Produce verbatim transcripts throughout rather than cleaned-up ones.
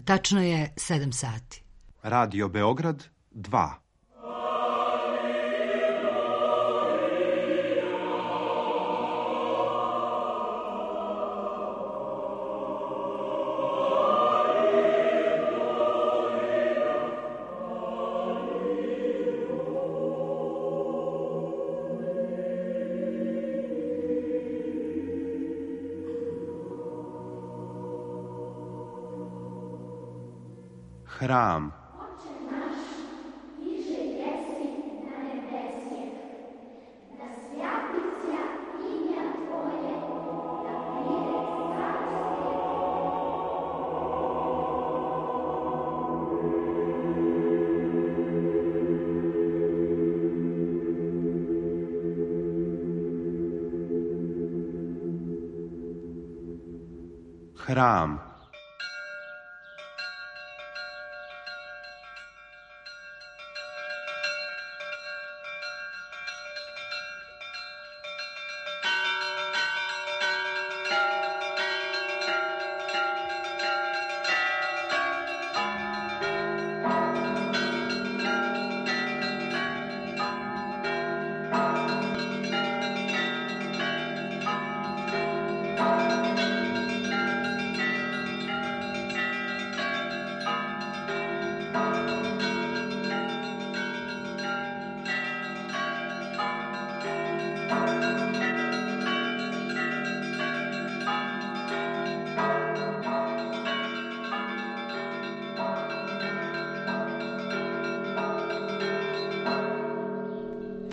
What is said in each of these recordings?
Tačno je sedam sati. Radio Beograd dva. Hram. Hram.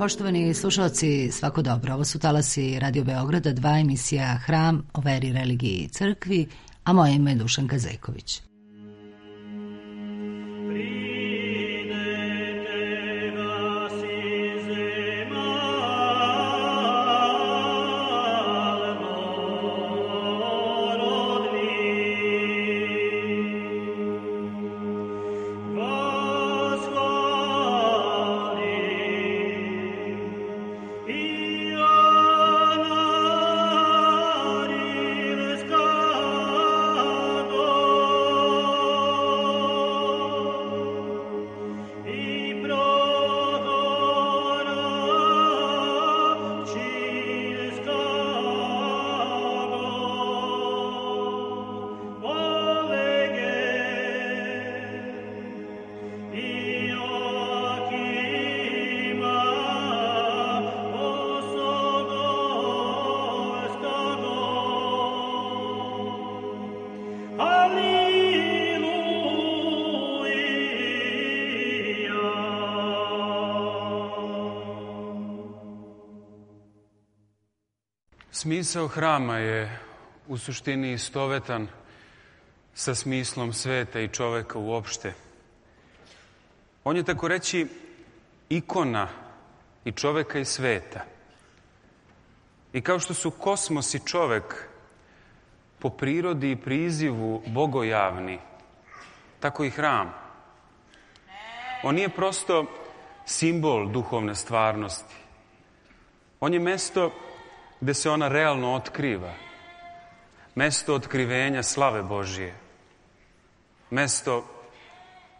Poštovani slušalci, svako dobro. Ovo su talasi Radio Beograda, dva, emisija Hram o veri, religiji i crkvi, a moje ime je Dušanka Zeković. Smisao hrama je u suštini istovetan sa smislom sveta i čoveka uopšte. On je, tako reći, ikona i čoveka i sveta. I kao što su kosmos i čovek po prirodi i prizivu bogojavni, tako i hram. On nije prosto simbol duhovne stvarnosti. On je mesto gde se ona realno otkriva. Mesto otkrivenja slave Božije. Mesto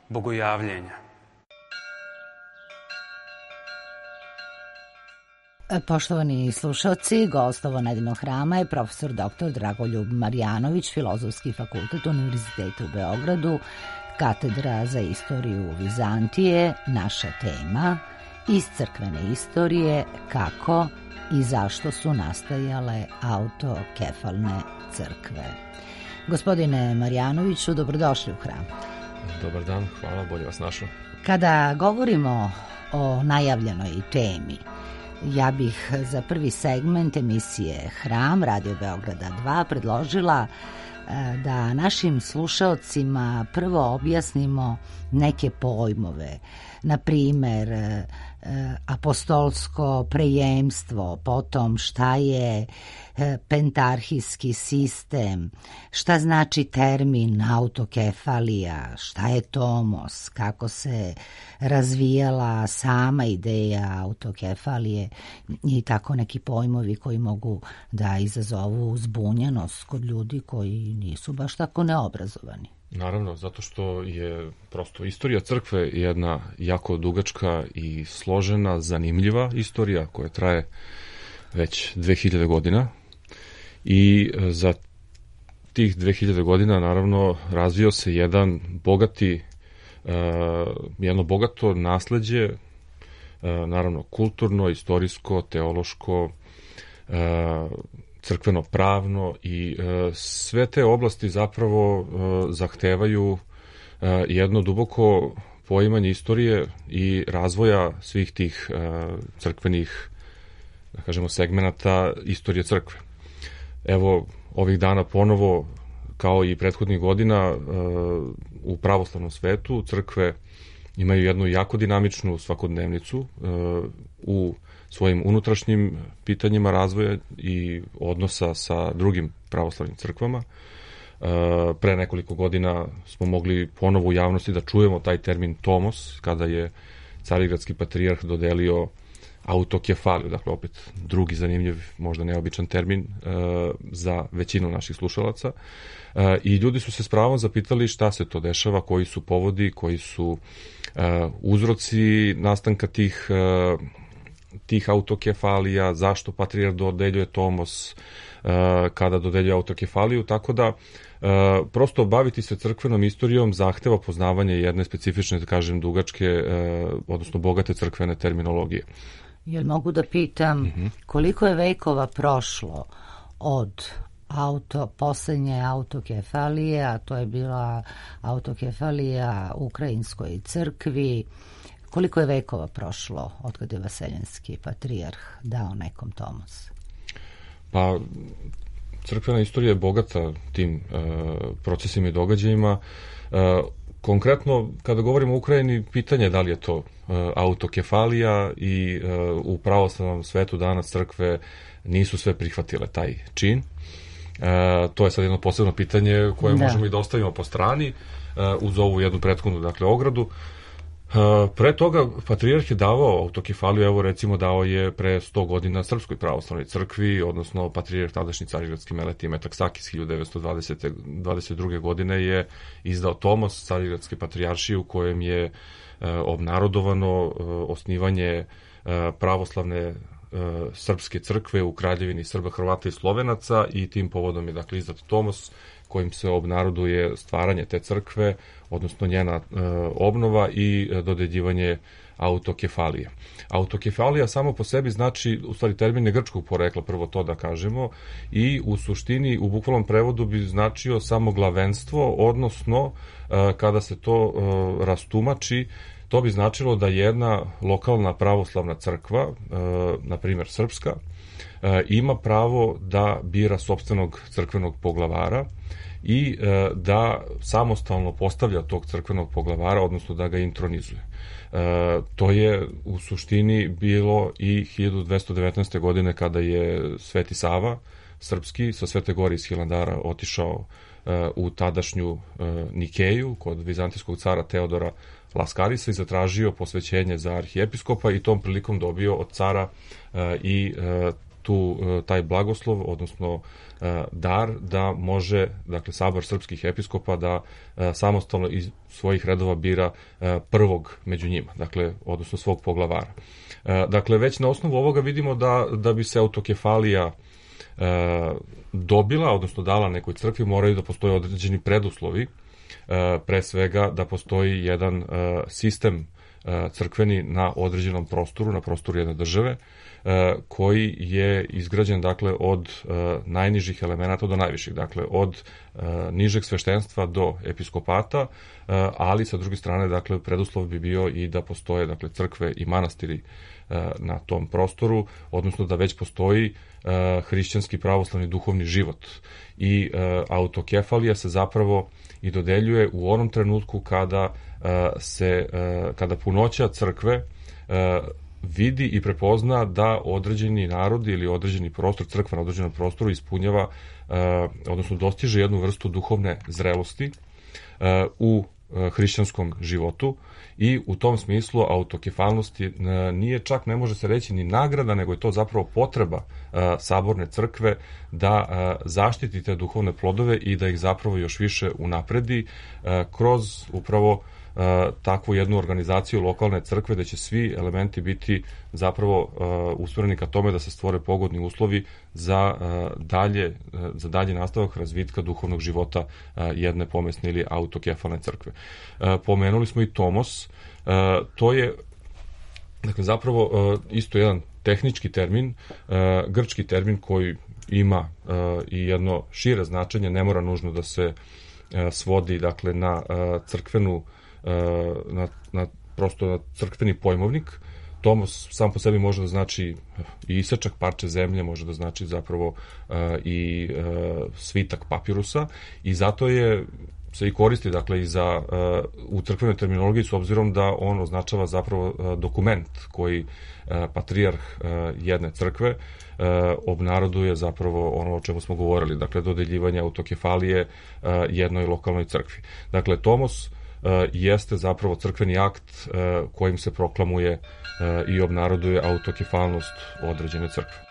bogojavljenja. Poštovani slušalci, gost ovo nedeljnog hrama je profesor doktor Dragoljub Marjanović, Filozofski fakultet Univerziteta u Beogradu, katedra za istoriju Vizantije, naša tema, iz crkvene istorije, kako i zašto su nastajale autokefalne crkve. Gospodine Marjanoviću, dobrodošli u hram. Dobar dan, hvala, bolje vas našao. Kada govorimo o najavljenoj temi, ja bih za prvi segment emisije Hram Radio Beograda dva predložila da našim slušaocima prvo objasnimo neke pojmove, na primer apostolsko prejemstvo, potom šta je pentarhijski sistem, šta znači termin autokefalija, šta je tomos, kako se razvijala sama ideja autokefalije i tako neki pojmovi koji mogu da izazovu zbunjenost kod ljudi koji nisu baš tako neobrazovani. Naravno, zato što je prosto istorija crkve jedna jako dugačka i složena, zanimljiva istorija koja traje već dve hiljade godina i za tih dve hiljade godina naravno razvio se jedan bogati, uh, jedno bogato nasleđe, uh, naravno kulturno, istorijsko, teološko, uh, crkveno-pravno i uh, sve te oblasti zapravo uh, zahtevaju uh, jedno duboko poimanje istorije i razvoja svih tih uh, crkvenih, da kažemo, segmenata istorije crkve. Evo, ovih dana ponovo, kao i prethodnih godina, u pravoslavnom svetu crkve imaju jednu jako dinamičnu svakodnevnicu u svojim unutrašnjim pitanjima razvoja i odnosa sa drugim pravoslavnim crkvama. Pre nekoliko godina smo mogli ponovo u javnosti da čujemo taj termin tomos, kada je carigradski patrijarh dodelio autokefaliju, dakle opet drugi zanimljiv, možda neobičan termin uh, za većinu naših slušalaca. Uh, I ljudi su se s pravom zapitali šta se to dešava, koji su povodi, koji su uh, uzroci nastanka tih, uh, tih autokefalija, zašto patrijarh dodeljuje tomos uh, kada dodeljuje autokefaliju, tako da Uh, prosto baviti se crkvenom istorijom zahteva poznavanje jedne specifične, da kažem, dugačke, uh, odnosno bogate crkvene terminologije. Jel mogu da pitam mm-hmm. koliko je vekova prošlo od auto, poslednje autokefalije, a to je bila autokefalija Ukrajinskoj crkvi, koliko je vekova prošlo od kada je Vaseljenski patrijarh dao nekom tomos? Pa, crkvena istorija je bogata tim uh, procesima i događajima. Uh, konkretno, kada govorimo o Ukrajini, pitanje je da li je to uh, autokefalija i uh, u pravoslavnom svetu danas crkve nisu sve prihvatile taj čin. Uh, to je sad jedno posebno pitanje koje da. možemo i da ostavimo po strani uh, uz ovu jednu prethodnu, dakle, ogradu. Uh, pre toga patrijarh je davao autokefaliju, evo recimo dao je pre sto godina Srpskoj pravoslavnoj crkvi, odnosno patrijarh tadašnji carigradski Meletije Metaksakis hiljadu devetsto dvadeset druge godine je izdao tomos Carigradske patrijaršije u kojem je uh, obnarodovano uh, osnivanje uh, pravoslavne uh, srpske crkve u Kraljevini Srba, Hrvata i Slovenaca i tim povodom je, dakle, izdat tomos kojim se obnaroduje stvaranje te crkve, odnosno njena e, obnova i e, dodeljivanje autokefalije. Autokefalija samo po sebi znači, u stvari, termin je grčkog porekla, prvo to da kažemo, i u suštini u bukvalnom prevodu bi značio samo glavenstvo, odnosno e, kada se to e, rastumači, to bi značilo da jedna lokalna pravoslavna crkva, e, na primjer srpska, e, ima pravo da bira sopstvenog crkvenog poglavara i e, da samostalno postavlja tog crkvenog poglavara, odnosno da ga intronizuje. E, to je u suštini bilo i hiljadu dvesta devetnaeste. godine kada je Sveti Sava srpski sa Svete Gore iz Hilandara otišao e, u tadašnju e, Nikeju kod vizantijskog cara Teodora Laskarisa i zatražio posvećenje za arhijepiskopa i tom prilikom dobio od cara e, i e, tu taj blagoslov, odnosno dar da može, dakle, sabor srpskih episkopa da samostalno iz svojih redova bira prvog među njima, dakle, odnosno svog poglavara. Dakle, već na osnovu ovoga vidimo da, da bi se autokefalija dobila, odnosno dala nekoj crkvi, moraju da postoje određeni preduslovi, pre svega da postoji jedan sistem crkveni na određenom prostoru, na prostoru jedne države, koji je izgrađen, dakle, od najnižih elemenata do najviših, dakle, od nižeg sveštenstva do episkopata, ali sa druge strane, dakle, preduslov bi bio i da postoje, dakle, crkve i manastiri na tom prostoru, odnosno da već postoji hrišćanski pravoslavni duhovni život. I autokefalija se zapravo i dodeljuje u onom trenutku kada se, kada punoća crkve vidi i prepozna da određeni narod ili određeni prostor, crkva na određenom prostoru ispunjava, odnosno dostiže jednu vrstu duhovne zrelosti u hrišćanskom životu i u tom smislu autokefalnost nije čak, ne može se reći ni nagrada, nego je to zapravo potreba saborne crkve da zaštiti te duhovne plodove i da ih zapravo još više unapredi kroz upravo takvu jednu organizaciju lokalne crkve, da će svi elementi biti zapravo usmjereni ka tome da se stvore pogodni uslovi za dalje, za dalje nastavak razvitka duhovnog života jedne pomesne ili autokefalne crkve. Pomenuli smo i tomos. To je, dakle, zapravo isto jedan tehnički termin, grčki termin koji ima i jedno šire značenje, ne mora nužno da se svodi, dakle, na crkvenu Na, na, prosto na crkveni pojmovnik. Tomos sam po sebi može da znači i isečak parče zemlje, može da znači zapravo uh, i uh, svitak papirusa i zato je se i koristi, dakle, i za, uh, u crkvenoj terminologiji, s obzirom da on označava zapravo uh, dokument koji uh, patrijarh uh, jedne crkve uh, obnaroduje zapravo ono o čemu smo govorili, dakle, dodeljivanje autokefalije uh, jednoj lokalnoj crkvi. Dakle, tomos jeste zapravo crkveni akt kojim se proklamuje i obnaroduje autokefalnost određene crkve.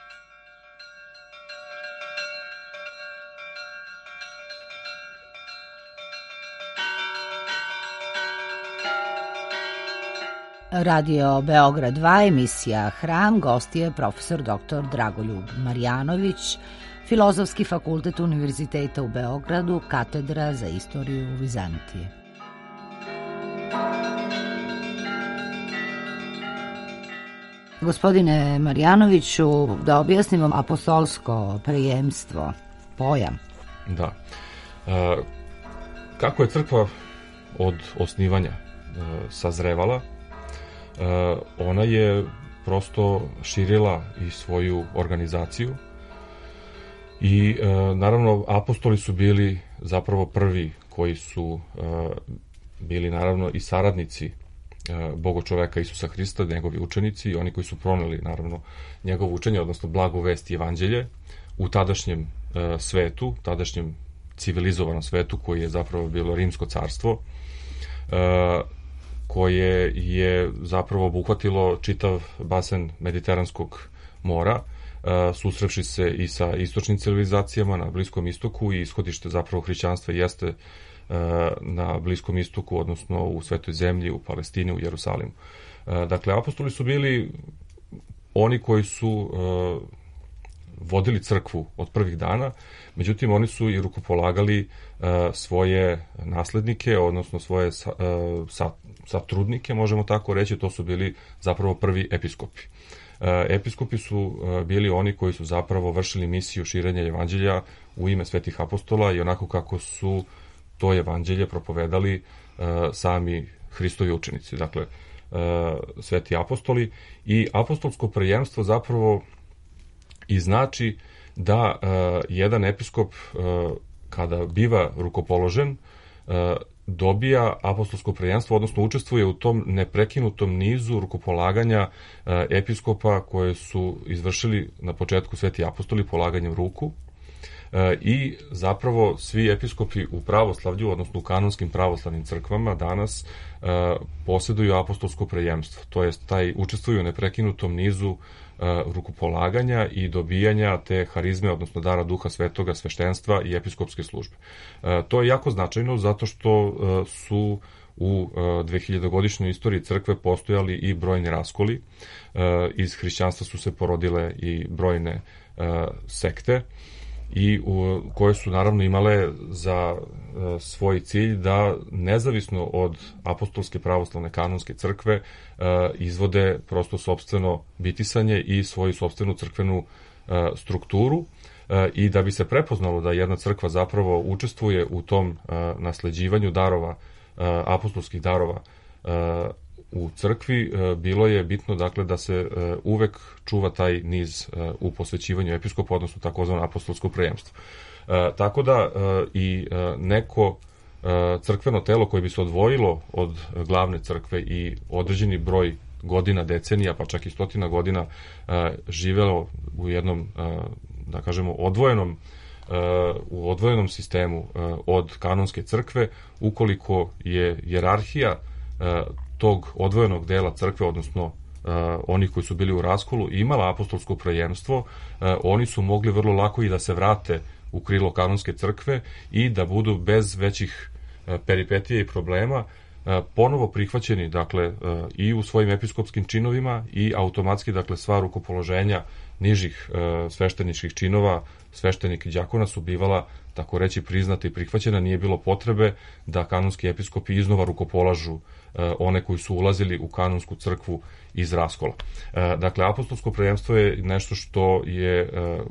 Radio Beograd dva, emisija Hram, gost je profesor doktor Dragoljub Marjanović, Filozofski fakultet Univerziteta u Beogradu, katedra za istoriju Vizantije. Gospodine Marjanoviću, da objasnimo apostolsko prijemstvo, pojam. Da. E, kako je crkva od osnivanja e, sazrevala, e, ona je prosto širila i svoju organizaciju i e, naravno apostoli su bili zapravo prvi koji su e, bili naravno i saradnici Boga čoveka Isusa Hrista, njegovi učenici i oni koji su proneli naravno njegovo učenje, odnosno blagu vest i evanđelje u tadašnjem e, svetu, tadašnjem civilizovanom svetu koji je zapravo bilo Rimsko carstvo, e, koje je zapravo obuhvatilo čitav basen Mediteranskog mora, e, susrevši se i sa istočnim civilizacijama na Bliskom istoku i ishodište zapravo hrišćanstva jeste na Bliskom istoku, odnosno u Svetoj zemlji, u Palestini, u Jerusalimu. Dakle, apostoli su bili oni koji su vodili crkvu od prvih dana, međutim oni su i rukopolagali svoje naslednike, odnosno svoje satrudnike, možemo tako reći, to su bili zapravo prvi episkopi. Episkopi su bili oni koji su zapravo vršili misiju širenja evanđelja u ime svetih apostola i onako kako su to evanđelje propovedali uh, sami Hristovi učenici, dakle uh, sveti apostoli, i apostolsko prejemstvo zapravo i znači da uh, jedan episkop uh, kada biva rukopoložen uh, dobija apostolsko prejemstvo, odnosno učestvuje u tom neprekinutom nizu rukopolaganja uh, episkopa koje su izvršili na početku sveti apostoli polaganjem ruku. I zapravo svi episkopi u pravoslavlju, odnosno u kanonskim pravoslavnim crkvama danas posjeduju apostolsko prejemstvo, to jest taj učestvuju u neprekinutom nizu rukopolaganja i dobijanja te harizme, odnosno dara Duha Svetoga, sveštenstva i episkopske službe. To je jako značajno zato što su u dvehiljadogodišnjoj istoriji crkve postojali i brojni raskoli, iz hrišćanstva su se porodile i brojne sekte, i u, koje su naravno imale za e, svoj cilj da nezavisno od apostolske pravoslavne kanonske crkve e, izvode prosto sopstveno bitisanje i svoju sopstvenu crkvenu e, strukturu e, i da bi se prepoznalo da jedna crkva zapravo učestvuje u tom e, nasleđivanju darova, e, apostolskih darova e, u crkvi, bilo je bitno, dakle, da se uvek čuva taj niz u posvećivanju episkopa, odnosno takozvano apostolsko prejemstvo. Tako da i neko crkveno telo koje bi se odvojilo od glavne crkve i određeni broj godina, decenija, pa čak i stotina godina živelo u jednom, da kažemo, odvojenom u odvojenom sistemu od kanonske crkve, ukoliko je hijerarhija tog odvojenog dela crkve, odnosno oni koji su bili u raskolu, imala apostolsko prejemstvo, oni su mogli vrlo lako i da se vrate u krilo kanonske crkve i da budu bez većih peripetija i problema ponovo prihvaćeni, dakle, i u svojim episkopskim činovima i automatski, dakle, sva rukopoloženja nižih svešteničkih činova, sveštenika i đakona su bivala, tako reći, priznata i prihvaćena, nije bilo potrebe da kanonski episkopi iznova rukopolažu one koji su ulazili u kanonsku crkvu iz raskola. Dakle, apostolsko prejemstvo je nešto što je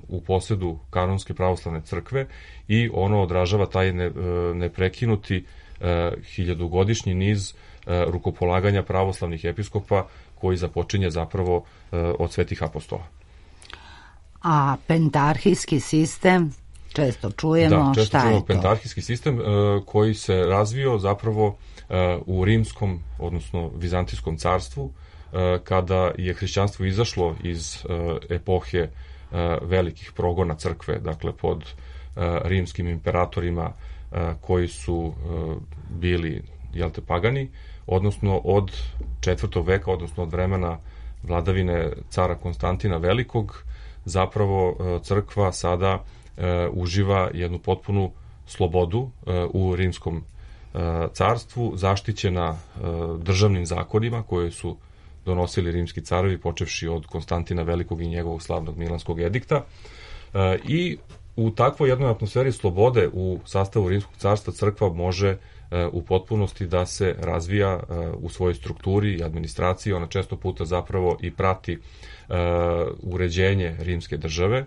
u posedu kanonske pravoslavne crkve i ono odražava taj neprekinuti hiljadugodišnji niz rukopolaganja pravoslavnih episkopa koji započinje zapravo od svetih apostola. A pentarhijski sistem, često čujemo, da, često šta čujemo je to? Pentarhijski sistem koji se razvio zapravo u rimskom, odnosno vizantijskom carstvu, kada je hrišćanstvo izašlo iz epohe velikih progona crkve, dakle pod rimskim imperatorima koji su bili, jel te, pagani, odnosno od četvrtog veka, odnosno od vremena vladavine cara Konstantina Velikog, zapravo crkva sada uživa jednu potpunu slobodu u rimskom carstvu, zaštićena državnim zakonima koje su donosili rimski carovi, počevši od Konstantina Velikog i njegovog slavnog Milanskog edikta. I u takvoj jednoj atmosferi slobode u sastavu rimskog carstva crkva može u potpunosti da se razvija u svojoj strukturi i administraciji. Ona često puta zapravo i prati uređenje rimske države,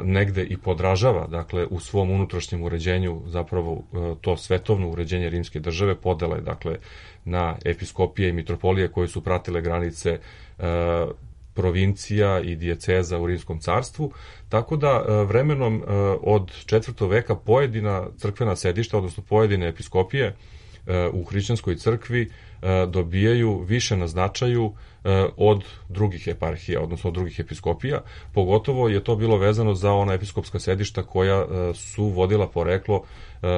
negde i podražava, dakle, u svom unutrašnjem uređenju zapravo to svetovno uređenje rimske države, podela je, dakle, na episkopije i mitropolije koje su pratile granice provincija i dijeceza u rimskom carstvu, tako da vremenom od četvrtog veka pojedina crkvena sedišta, odnosno pojedine episkopije u hrišćanskoj crkvi dobijaju više na značaju od drugih eparhija, odnosno od drugih episkopija. Pogotovo je to bilo vezano za ona episkopska sedišta koja su vodila poreklo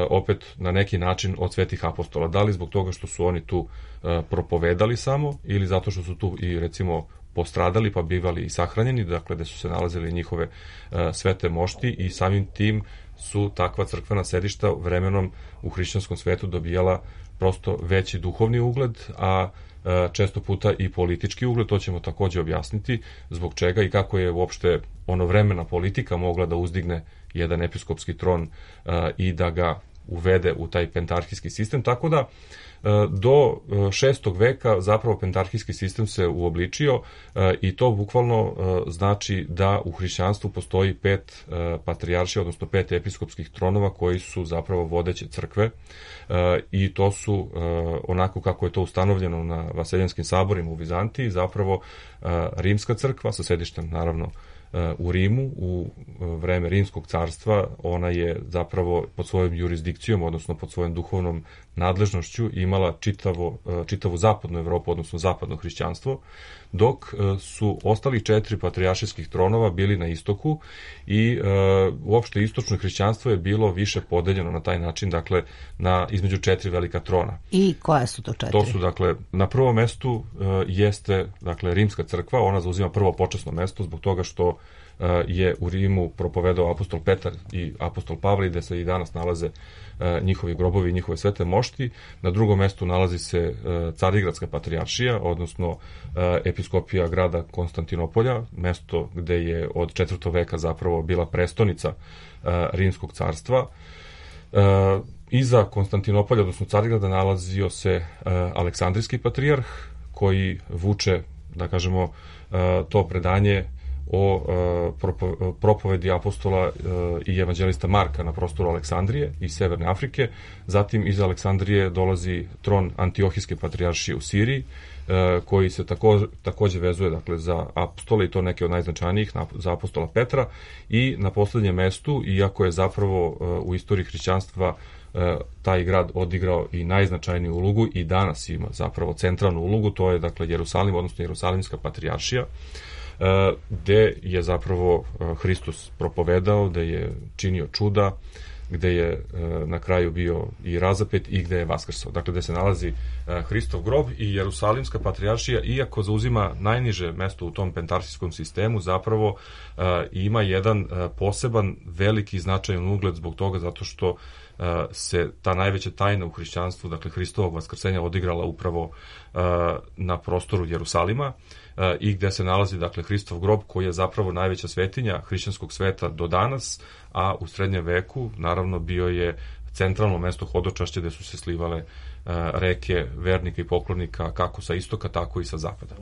opet na neki način od svetih apostola. Da li zbog toga što su oni tu propovedali samo ili zato što su tu i, recimo, postradali pa bivali i sahranjeni, dakle gde su se nalazili njihove svete mošti, i samim tim su takva crkvena sedišta vremenom u hrišćanskom svetu dobijala prosto veći duhovni ugled, a često puta i politički ugled. To ćemo takođe objasniti zbog čega i kako je uopšte ono vremena politika mogla da uzdigne jedan episkopski tron i da ga uvede u taj pentarhijski sistem, tako da do šestog veka zapravo pentarhijski sistem se uobličio i to bukvalno znači da u hrišćanstvu postoji pet patrijaršija, odnosno pet episkopskih tronova koji su zapravo vodeće crkve, i to su, onako kako je to ustanovljeno na vaseljanskim saborima u Vizantiji, zapravo rimska crkva sa sedištem naravno u Rimu. U vreme Rimskog carstva ona je zapravo pod svojom jurisdikcijom, odnosno pod svojom duhovnom nadležnošću imala čitavo, čitavu zapadnu Evropu, odnosno zapadno hrišćanstvo, dok su ostali četiri patrijaršijskih tronova bili na istoku i e, uopšte istočno hrišćanstvo je bilo više podeljeno na taj način, dakle, na između četiri velika trona. I koja su to četiri? To su, dakle, na prvom mestu e, jeste, dakle, Rimska crkva, ona zauzima prvo počasno mesto zbog toga što e, je u Rimu propovedao apostol Petar i apostol Pavle, gde se i danas nalaze e, njihovi grobovi i njihove svete mošti. Na drugom mestu nalazi se e, Carigradska patrijaršija, odnosno e, episkopija grada Konstantinopolja, mesto gde je od četvrtog veka zapravo bila prestonica e, Rimskog carstva. E, iza Konstantinopolja, odnosno Carigrada, nalazio se e, Aleksandrijski patrijarh, koji vuče, da kažemo, e, to predanje o e, propovedi apostola e, i evanđelista Marka na prostoru Aleksandrije i Severne Afrike. Zatim iz Aleksandrije dolazi tron Antiohijske patrijaršije u Siriji, e, koji se tako, takođe vezuje, dakle, za apostole, i to neke od najznačajnijih, na, za apostola Petra. I na poslednjem mestu, iako je zapravo e, u istoriji hrišćanstva e, taj grad odigrao i najznačajniju ulogu i danas ima zapravo centralnu ulogu, to je, dakle, Jerusalim, odnosno Jerusalimska patrijaršija. gde je zapravo Hristos propovedao, gde je činio čuda, gde je na kraju bio i razapet i gde je vaskrsao. Dakle, gde se nalazi Hristov grob i Jerusalimska patrijaršija, iako zauzima najniže mesto u tom pentarsijskom sistemu, zapravo ima jedan poseban, veliki značajan ugled zbog toga, zato što se ta najveća tajna u hrišćanstvu, dakle Hristovog vaskrsenja, odigrala upravo na prostoru Jerusalima i gde se nalazi, dakle, Hristov grob, koji je zapravo najveća svetinja hrišćanskog sveta do danas, a u srednjem veku, naravno, bio je centralno mesto hodočašća gde su se slivale reke vernika i poklonika kako sa istoka, tako i sa zapada.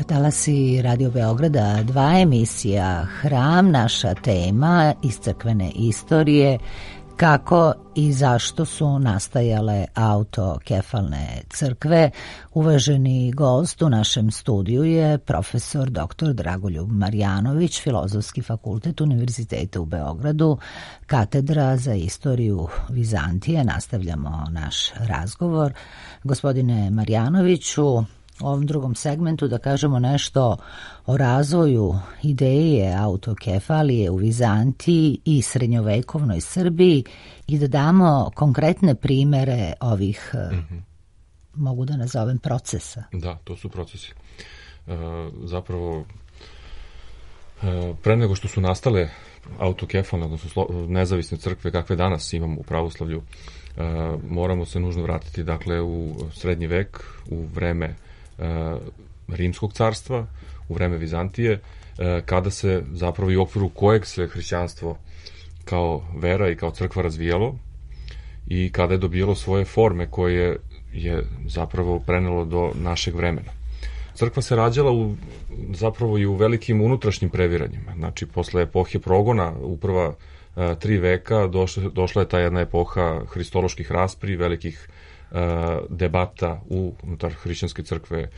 Talasi Radio Beograda, dva emisija Hram, naša tema iz crkvene istorije, kako i zašto su nastajale autokefalne crkve. Uvaženi gost u našem studiju je profesor doktor Dragoljub Marjanović, Filozofski fakultet Univerziteta u Beogradu, katedra za istoriju Vizantije. Nastavljamo naš razgovor. Gospodine Marjanoviću, u ovom drugom segmentu da kažemo nešto o razvoju ideje autokefalije u Vizantiji i srednjovekovnoj Srbiji i da damo konkretne primere ovih, mm-hmm. mogu da nazovem, procesa. Da, to su procesi. E, zapravo, e, pre nego što su nastale autokefalne, odnosno nezavisne crkve kakve danas imamo u pravoslavlju, e, moramo se nužno vratiti, dakle, u srednji vek, u vreme Rimskog carstva, u vreme Vizantije, kada se zapravo i u okviru kojeg se hrišćanstvo kao vera i kao crkva razvijalo i kada je dobijalo svoje forme koje je zapravo prenelo do našeg vremena. Crkva se rađala u, zapravo i u velikim unutrašnjim previranjima. Znači, posle epohe progona, u prva a, tri veka, došla, došla je ta jedna epoha hristoloških raspri, velikih debata unutar hrišćanske crkve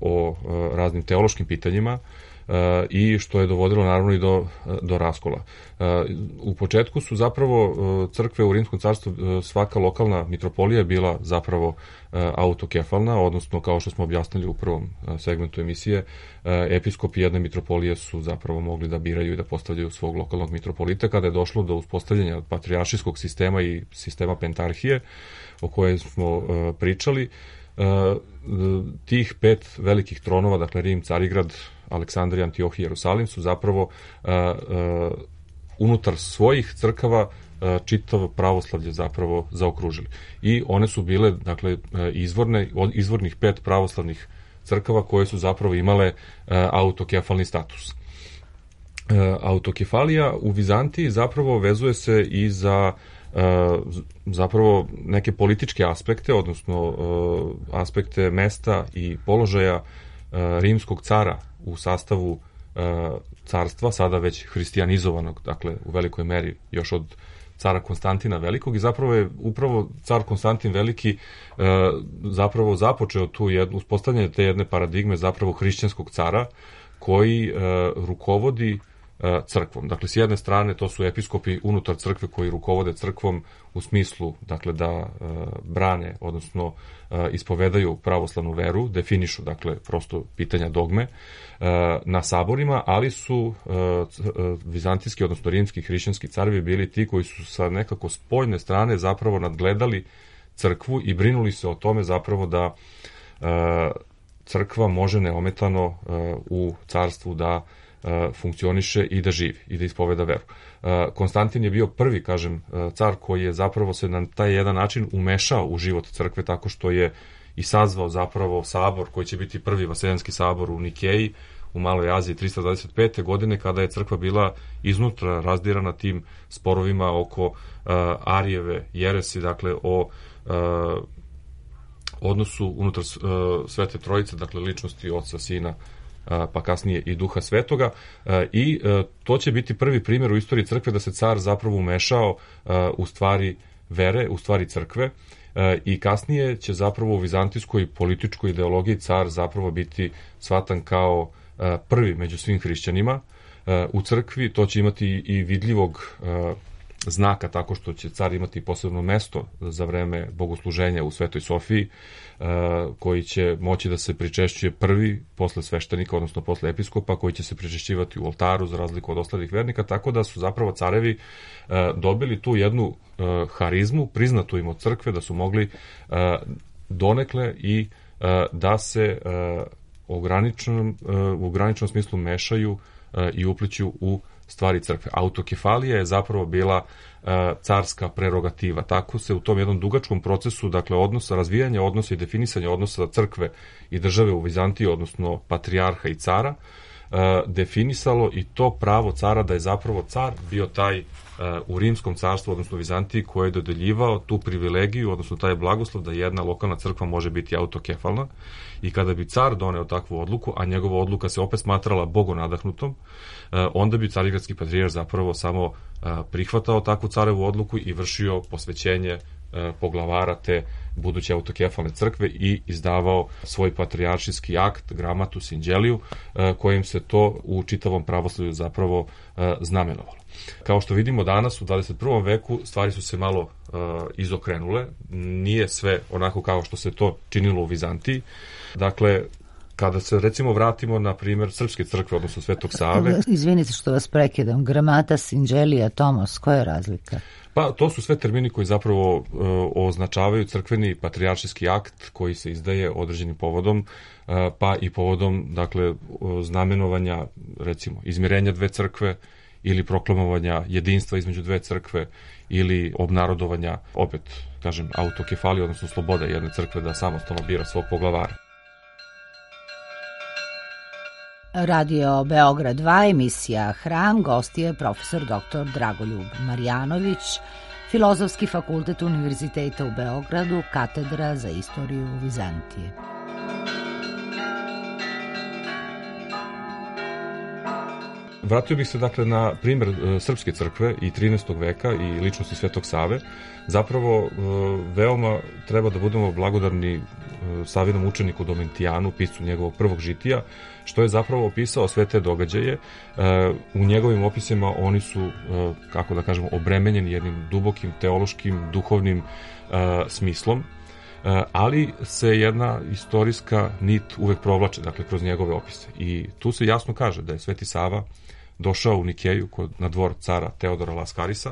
o raznim teološkim pitanjima, i što je dovodilo naravno i do, do raskola. U početku su zapravo crkve u Rimskom carstvu, svaka lokalna mitropolija je bila zapravo autokefalna, odnosno kao što smo objasnili u prvom segmentu emisije, episkopi jedne mitropolije su zapravo mogli da biraju i da postavljaju svog lokalnog mitropolita. Kada je došlo do uspostavljanja patrijaršijskog sistema i sistema pentarhije o kojoj smo pričali, tih pet velikih tronova, dakle Rim, Carigrad, Aleksandrija, Antiohija i Jerusalim, su zapravo unutar svojih crkava čitavo pravoslavlje zapravo zaokružili. I one su bile, dakle, izvorne, od izvornih pet pravoslavnih crkava koje su zapravo imale autokefalni status. Autokefalija u Vizantiji zapravo vezuje se i za zapravo neke političke aspekte, odnosno aspekte mesta i položaja rimskog cara u sastavu carstva, sada već hristijanizovanog, dakle u velikoj meri još od cara Konstantina Velikog, i zapravo je upravo car Konstantin Veliki zapravo započeo tu jednu, uspostavljanje te jedne paradigme zapravo hrišćanskog cara koji rukovodi crkvom. Dakle, s jedne strane to su episkopi unutar crkve koji rukovode crkvom u smislu, dakle, da e, brane, odnosno e, ispovedaju pravoslavnu veru, definišu, dakle, prosto pitanja dogme e, na saborima, ali su e, vizantijski, odnosno rimski hrišćanski carevi bili ti koji su sa nekako spoljne strane zapravo nadgledali crkvu i brinuli se o tome zapravo da e, crkva može neometano e, u carstvu da funkcioniše i da živi i da ispoveda veru. Konstantin je bio prvi, kažem, car koji je zapravo se na taj jedan način umešao u život crkve tako što je i sazvao zapravo sabor koji će biti prvi vaseljanski sabor u Nikeji u Maloj Aziji trista dvadeset pete godine, kada je crkva bila iznutra razdirana tim sporovima oko uh, Arijeve jeresi, dakle o uh, odnosu unutar uh, Svete Trojice, dakle ličnosti Oca, Sina, pa kasnije i Duha Svetoga, i to će biti prvi primjer u istoriji crkve da se car zapravo umešao u stvari vere, u stvari crkve, i kasnije će zapravo u vizantijskoj političkoj ideologiji car zapravo biti shvatan kao prvi među svim hrišćanima u crkvi. To će imati i vidljivog znaka tako što će car imati posebno mesto za vreme bogosluženja u Svetoj Sofiji, koji će moći da se pričešćuje prvi posle sveštenika, odnosno posle episkopa, koji će se pričešćivati u oltaru za razliku od ostalih vernika, tako da su zapravo carevi dobili tu jednu harizmu, priznatu im od crkve, da su mogli donekle i da se u ograničenom, u ograničenom smislu mešaju i upliću u stvari crkve. Autokefalija je zapravo bila e, carska prerogativa. Tako se u tom jednom dugačkom procesu, dakle, odnosa, razvijanja odnosa i definisanja odnosa crkve i države u Vizantiji, odnosno patrijarha i cara, e, definisalo i to pravo cara da je zapravo car bio taj e, u Rimskom carstvu, odnosno Vizantiji, koji je dodeljivao tu privilegiju, odnosno taj blagoslov da jedna lokalna crkva može biti autokefalna, i kada bi car doneo takvu odluku, a njegova odluka se opet smatrala bogonadahnutom, onda bi carigradski patrijarh zapravo samo prihvatao takvu carevu odluku i vršio posvećenje poglavara te buduće autokefalne crkve i izdavao svoj patrijaršijski akt, gramatus inđeliju, kojim se to u čitavom pravoslavlju zapravo znamenovalo. Kao što vidimo danas u dvadeset prvom veku stvari su se malo uh, izokrenule, nije sve onako kao što se to činilo u Vizantiji. Dakle, kada se recimo vratimo na primjer srpske crkve, odnosno Svetog Save. Izvinite što vas prekidam, gramatas, inđelija, tomos, koja je razlika? Pa to su sve termini koji zapravo uh, označavaju crkveni patrijaršijski akt koji se izdaje određenim povodom, uh, pa i povodom, dakle, uh, znamenovanja, recimo, izmirenja dve crkve, ili proklamovanja jedinstva između dve crkve, ili obnarodovanja, opet, kažem, autokefalije, odnosno sloboda jedne crkve da samostalno bira svog poglavara. Radio Beograd dva, emisija Hram, gost je profesor doktor Dragoljub Marjanović, Filozofski fakultet Univerziteta u Beogradu, katedra za istoriju Vizantije. vratio bih se dakle na primjer uh, Srpske crkve i trinaestog veka i ličnosti Svetog Save. Zapravo uh, veoma treba da budemo blagodarni uh, Savinom učeniku Domitijanu, piscu njegovog prvog žitija, što je zapravo opisao sve te događaje. Uh, u njegovim opisima oni su, uh, kako da kažemo, obremenjeni jednim dubokim teološkim, duhovnim uh, smislom, ali se jedna istorijska nit uvek provlače, dakle, kroz njegove opise. I tu se jasno kaže da je Sveti Sava došao u Nikeju kod, na dvor cara Teodora Laskarisa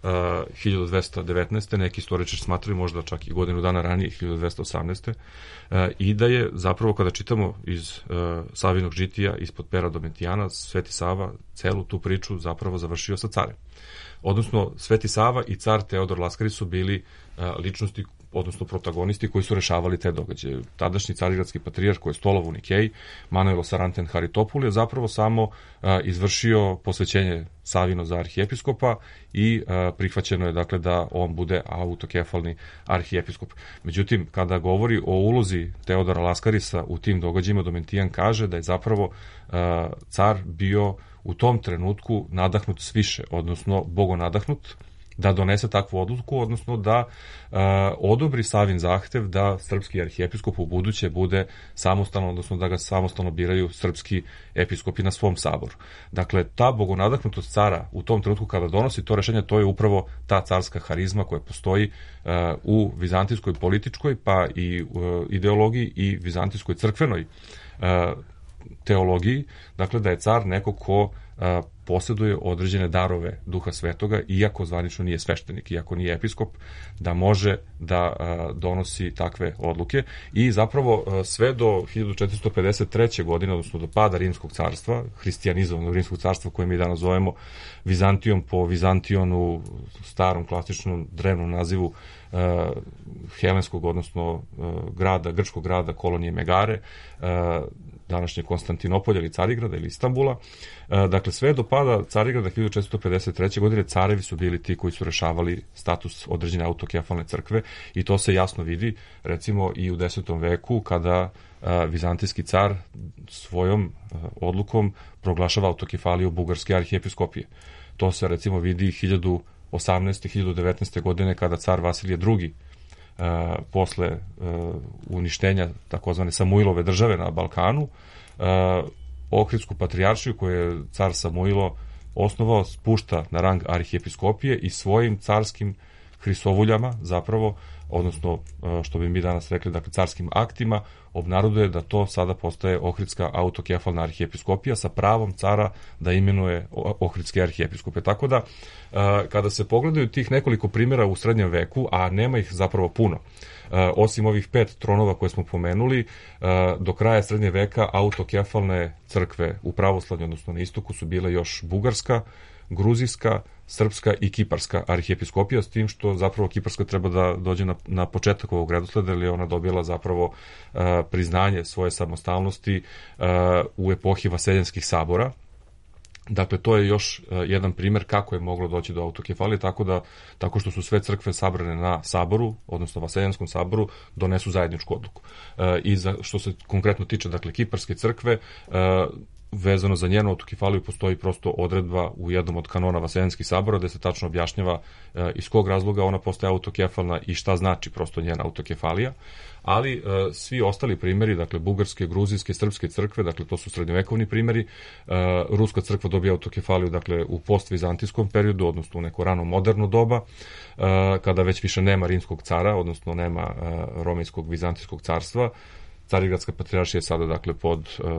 uh, hiljadu dvesta devetnaeste. Neki istoričari smatraju možda čak i godinu dana ranije, hiljadu dvesta osamnaeste. Uh, I da je zapravo, kada čitamo iz uh, Savinog žitija ispod pera Domitijana, Sveti Sava celu tu priču zapravo završio sa carem. Odnosno, Sveti Sava i car Teodor Laskaris su bili uh, ličnosti, odnosno protagonisti koji su rešavali te događaje. Tadašnji carigradski patrijarh koji je stolovao u Nikeji, Manojlo Saranten Haritopul, je zapravo samo a, izvršio posvećenje Savino za arhijepiskopa i a, prihvaćeno je dakle da on bude autokefalni arhijepiskop. Međutim, kada govori o ulozi Teodora Laskarisa u tim događajima, Domitijan kaže da je zapravo a, car bio u tom trenutku nadahnut sviše, odnosno bogonadahnut, da donese takvu odluku, odnosno da uh, odobri Savin zahtev da srpski arhijepiskop u buduće bude samostalno, odnosno da ga samostalno biraju srpski episkopi na svom saboru. Dakle, ta bogonadahnutost cara u tom trenutku kada donosi to rešenje, to je upravo ta carska harizma koja postoji uh, u vizantijskoj političkoj, pa i uh, ideologiji i vizantijskoj crkvenoj uh, teologiji, dakle da je car neko ko a, posjeduje određene darove Duha Svetoga, iako zvanično nije sveštenik, iako nije episkop, da može da a, donosi takve odluke. I zapravo a, sve do hiljadu četiristo pedeset treće. godine, odnosno do pada Rimskog carstva, hristijanizovanog Rimskog carstva koje mi danas zovemo Vizantijom po Vizantionu, starom klasičnom drevnom nazivu a, helenskog, odnosno a, grada, grčkog grada, kolonije Megare, a, današnje Konstantinopolja ili Carigrada ili Istanbula. Dakle, sve do pada Carigrada hiljadu četiristo pedeset treće. godine carevi su bili ti koji su rešavali status određene autokefalne crkve i to se jasno vidi recimo i u desetom veku kada vizantijski car svojom odlukom proglašava autokefaliju bugarske arhijepiskopije. To se recimo vidi hiljadu osamnaeste. hiljadu devetnaeste. godine kada car Vasilije drugi Uh, posle uh, uništenja takozvane Samuilove države na Balkanu, uh, Ohridsku patrijaršiju koju je car Samuilo osnovao spušta na rang arhijepiskopije i svojim carskim hrisovuljama zapravo, odnosno uh, što bi mi danas rekli, dakle carskim aktima, obnaroduje da to sada postaje Ohridska autokefalna arhijepiskopija sa pravom cara da imenuje Ohridske arhijepiskope. Tako da, kada se pogledaju tih nekoliko primjera u srednjem veku, a nema ih zapravo puno, osim ovih pet tronova koje smo pomenuli, do kraja srednje veka autokefalne crkve u pravoslavlju, odnosno na istoku, su bile još bugarska, gruzijska, srpska i kiparska arhijepiskopija, s tim što zapravo kiparska treba da dođe na, na početak ovog redosleda, jer je ona dobila zapravo uh, priznanje svoje samostalnosti uh, u epohi vaseljenskih sabora. Dakle, to je još uh, jedan primjer kako je moglo doći do autokefalije, tako da, tako što su sve crkve sabrane na saboru, odnosno vaseljenskom saboru, donesu zajedničku odluku. Uh, I za, što se konkretno tiče, dakle, kiparske crkve, uh, vezano za njenu autokefaliju postoji prosto odredba u jednom od kanona Vaseljenskih sabora gde se tačno objašnjava e, iz kog razloga ona postaje autokefalna i šta znači prosto njena autokefalija, ali e, svi ostali primjeri, dakle bugarske, gruzijske, srpske crkve, dakle to su srednjovekovni primjeri, e, ruska crkva dobija autokefaliju dakle u postvizantijskom periodu, odnosno u neko rano moderno doba, e, kada već više nema rimskog cara, odnosno nema e, romejskog vizantijskog carstva. Carigradska patrijaršija je sada dakle pod uh,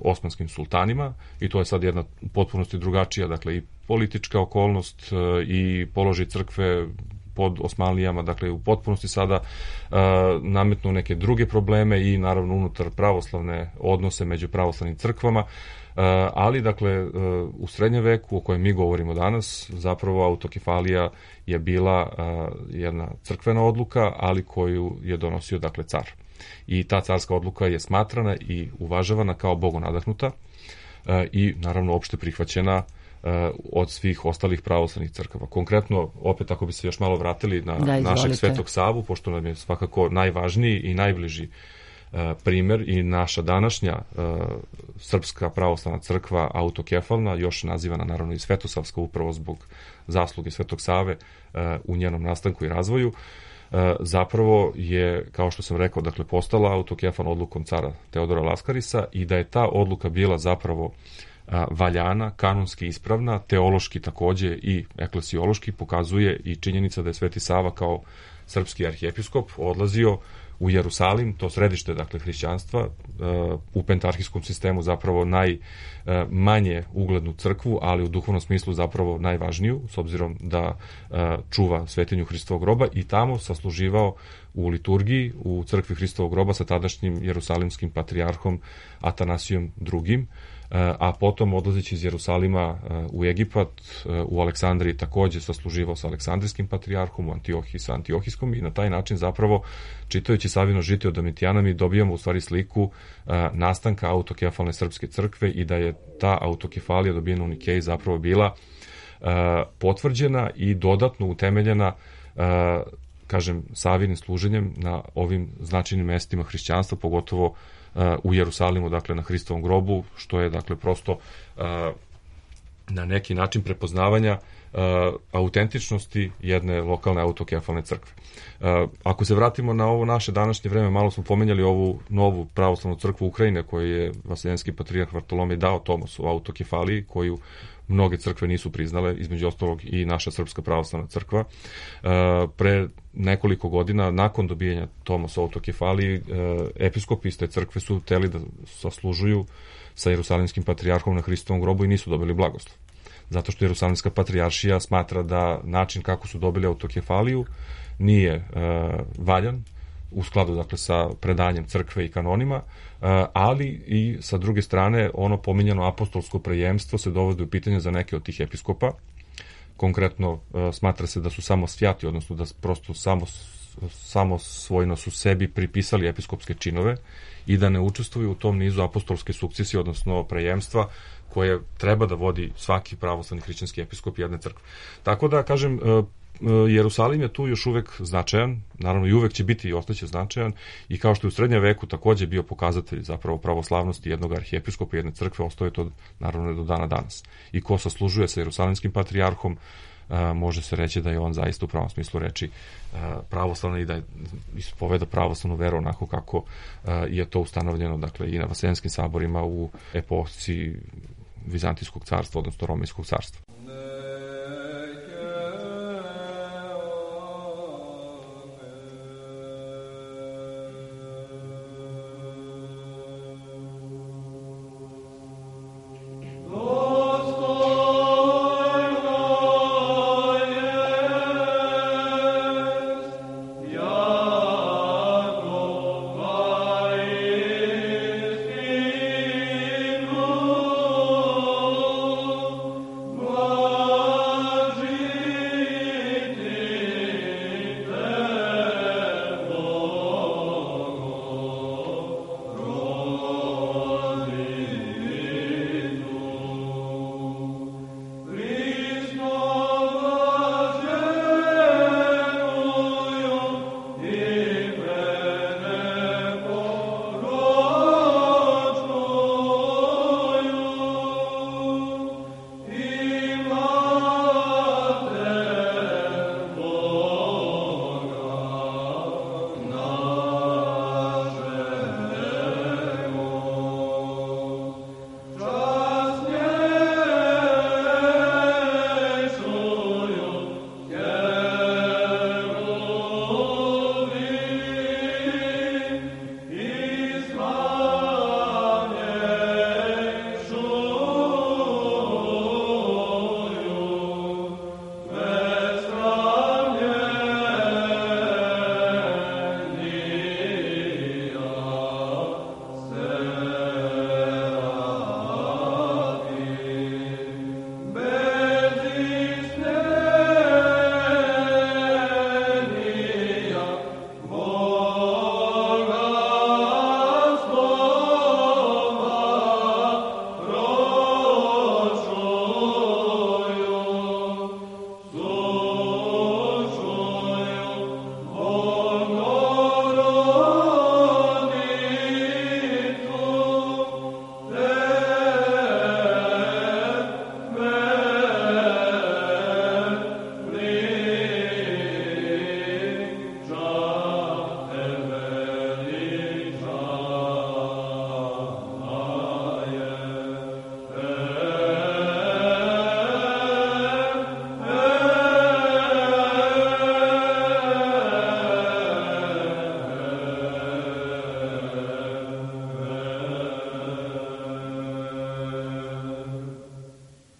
osmanskim sultanima i to je sad jedna potpunosti drugačija, dakle i politička okolnost uh, i položaj crkve pod Osmanlijama, dakle u potpunosti sada uh, nametnu neke druge probleme i naravno unutar pravoslavne odnose među pravoslavnim crkvama, uh, ali dakle uh, u srednjem veku o kojem mi govorimo danas, zapravo autokefalija je bila uh, jedna crkvena odluka, ali koju je donosio dakle car. I ta carska odluka je smatrana i uvažavana kao bogonadahnuta e, i naravno opšte prihvaćena e, od svih ostalih pravoslavnih crkava. Konkretno, opet ako bi se još malo vratili na da, našeg Svetog Savu, pošto nam je svakako najvažniji i najbliži primer i naša današnja Srpska pravoslavna crkva autokefalna, još nazivana naravno i Svetosavska upravo zbog zasluge Svetog Save u njenom nastanku i razvoju, zapravo je, kao što sam rekao, dakle, postala autokefalna odlukom cara Teodora Laskarisa i da je ta odluka bila zapravo valjana, kanonski ispravna, teološki takođe i eklesiološki, pokazuje i činjenica da je Sveti Sava kao srpski arhijepiskop odlazio u Jerusalim, to središte, dakle, hrišćanstva, u pentarhijskom sistemu zapravo najmanje uglednu crkvu, ali u duhovnom smislu zapravo najvažniju, s obzirom da čuva svetinju Hristovog groba, i tamo sasluživao u liturgiji u crkvi Hristovog groba sa tadašnjim jerusalimskim patrijarhom Atanasijom drugim, a potom odlazeći iz Jerusalima u Egipat, u Aleksandriji takođe sasluživao sa aleksandrijskim patrijarhom, u Antiohiji sa antiohijskom, i na taj način zapravo, čitajući Savino žitije od Domitijana, mi dobijamo u stvari sliku nastanka autokefalne srpske crkve i da je ta autokefalija dobijena u Nikeji zapravo bila potvrđena i dodatno utemeljena, kažem, Savinim služenjem na ovim značajnim mestima hrišćanstva, pogotovo u Jerusalimu, dakle, na Hristovom grobu, što je, dakle, prosto na neki način prepoznavanja autentičnosti jedne lokalne autokefalne crkve. Ako se vratimo na ovo naše današnje vreme, malo smo pomenjali ovu novu pravoslavnu crkvu Ukrajine koju je vaseljenski patrijarh Vartolomej dao Tomasu u autokefaliji, koju mnoge crkve nisu priznale, između ostalog i naša Srpska pravoslavna crkva. Pre nekoliko godina, nakon dobijanja Tomasa u autokefaliji, episkopi iz te crkve su hteli da saslužuju sa jerusalimskim patrijarhom na Hristovom grobu i nisu dobili blagoslov. Zato što Jerusalimska patrijaršija smatra da način kako su dobili autokefaliju nije e, valjan, u skladu, dakle, sa predanjem crkve i kanonima, e, ali i sa druge strane ono pominjano apostolsko prejemstvo se dovodi u pitanje za neke od tih episkopa. Konkretno e, smatra se da su samo svjati, odnosno da prosto samo, samo svojno su sebi pripisali episkopske činove i da ne učestvuju u tom nizu apostolske sukcesije, odnosno prejemstva, koje treba da vodi svaki pravoslavni hrišćanski episkop jedne crkve. Tako da, kažem, Jerusalim je tu još uvek značajan, naravno i uvek će biti i ostaće značajan, i kao što je u srednjem veku takođe bio pokazatelj zapravo pravoslavnosti jednog arhijepiskopa jedne crkve, ostaje to naravno do dana danas. I ko saslužuje sa jerusalimskim patrijarhom, može se reći da je on zaista u pravom smislu reči pravoslavna i da ispoveda pravoslavnu veru onako kako je to ustanovljeno, dakle, i na vaseljenskim saborima u epohi Vizantijskog carstva, odnosno Romejskog carstva. Oh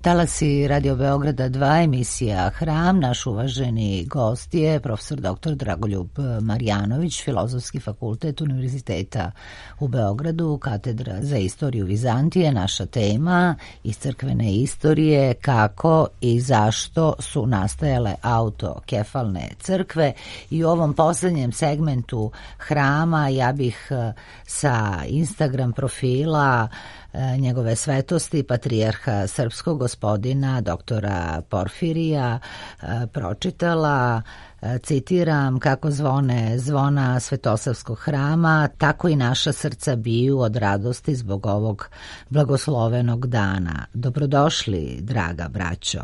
talasi Radio Beograda dva, emisija Hram. Naš uvaženi gost je profesor doktor Dragoljub Marjanović, Filozofski fakultet Univerziteta u Beogradu, katedra za istoriju Vizantije. Naša tema iz crkvene istorije, kako i zašto su nastajale autokefalne crkve. I u ovom poslednjem segmentu Hrama ja bih sa Instagram profila njegove svetosti patrijarha srpskog gospodina doktora Porfirija pročitala, citiram: kako zvone zvona Svetosavskog hrama, tako i naša srca biju od radosti zbog ovog blagoslovenog dana. Dobrodošli, draga braćo,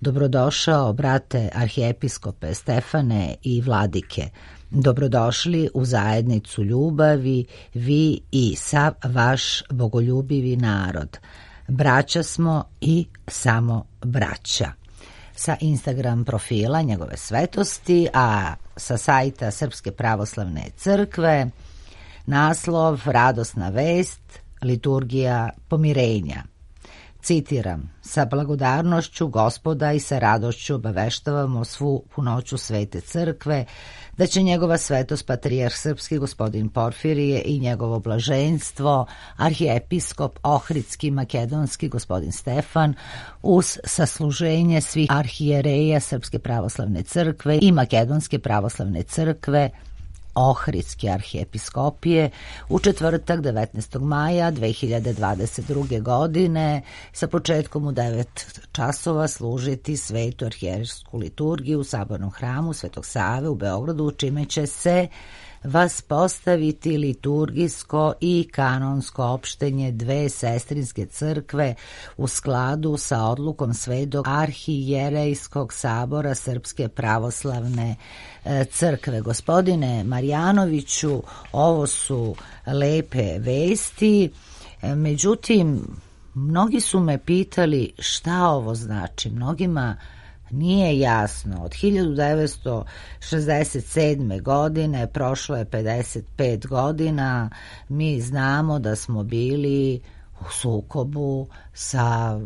dobrodošao brate arhijepiskope Stefane i vladike. Dobrodošli u zajednicu ljubavi, vi i sav vaš bogoljubivi narod. Braća smo i samo braća. Sa Instagram profila njegove svetosti, a sa sajta Srpske pravoslavne crkve naslov: radosna vest, liturgija pomirenja. Citiram: sa blagodarnošću Gospoda i sa radošću obaveštavamo svu punoću Svete crkve da će njegova svetost patrijarh srpski gospodin Porfirije i njegovo blaženstvo arhijepiskop Ohridski makedonski gospodin Stefan uz sasluženje svih arhijereja Srpske pravoslavne crkve i Makedonske pravoslavne crkve Ohridske arhijepiskopije u četvrtak devetnaestog maja dve hiljade dvadeset druge. godine sa početkom u devet časova služiti svetu arhijerejsku liturgiju u Sabornom hramu Svetog Save u Beogradu, čime će se vaspostaviti liturgijsko i kanonsko opštenje dve sestrinske crkve u skladu sa odlukom Svetog arhijerejskog sabora Srpske pravoslavne crkve. Gospodine Marjanoviću, ovo su lepe vesti, međutim, mnogi su me pitali šta ovo znači. Mnogima nije jasno. Od hiljadu devetsto šezdeset sedme. godine prošlo je pedeset pet godina. Mi znamo da smo bili u sukobu sa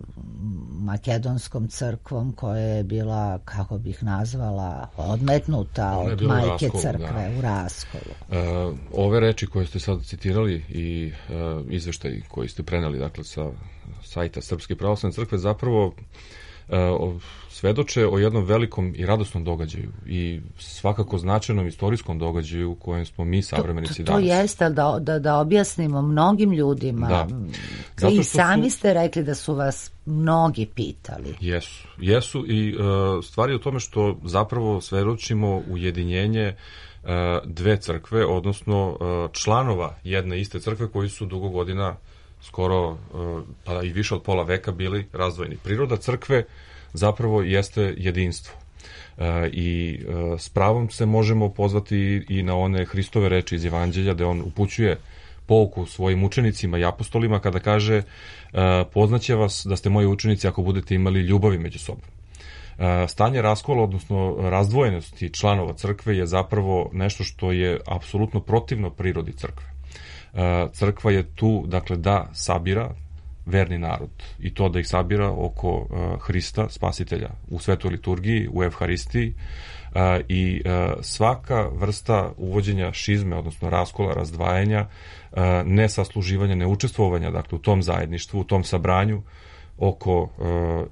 makedonskom crkvom koja je bila, kako bih nazvala, odmetnuta od majke raskolu, crkve, da. u raskolu. E, ove reči koje ste sad citirali i e, izveštaj koji ste preneli, dakle, sa sajta Srpske pravoslavne crkve, zapravo e, svedoče o jednom velikom i radosnom događaju i svakako značajnom istorijskom događaju u kojem smo mi savremenici to, to, to danas. To jeste, da, da, da objasnimo mnogim ljudima. Da. I sami su, ste rekli da su vas mnogi pitali. Jesu, jesu i uh, stvar je u tome što zapravo svedočimo ujedinjenje uh, dve crkve, odnosno uh, članova jedne iste crkve koji su dugo godina, skoro uh, pa i više od pola veka, bili razdvojeni. Priroda crkve zapravo jeste jedinstvo. E, I e, s pravom se možemo pozvati i na one Hristove reči iz Evanđelja, da on upućuje pouku svojim učenicima i apostolima kada kaže: e, poznaće vas da ste moji učenici ako budete imali ljubavi među sobom. E, stanje raskola, odnosno razdvojenosti članova crkve je zapravo nešto što je apsolutno protivno prirodi crkve. E, crkva je tu, dakle, da sabira verni narod i to da ih sabira oko uh, Hrista, spasitelja, u svetoj liturgiji, u Evharistiji uh, i uh, svaka vrsta uvođenja šizme, odnosno raskola, razdvajanja, uh, nesasluživanja, neučestvovanja, dakle, u tom zajedništvu, u tom sabranju oko uh,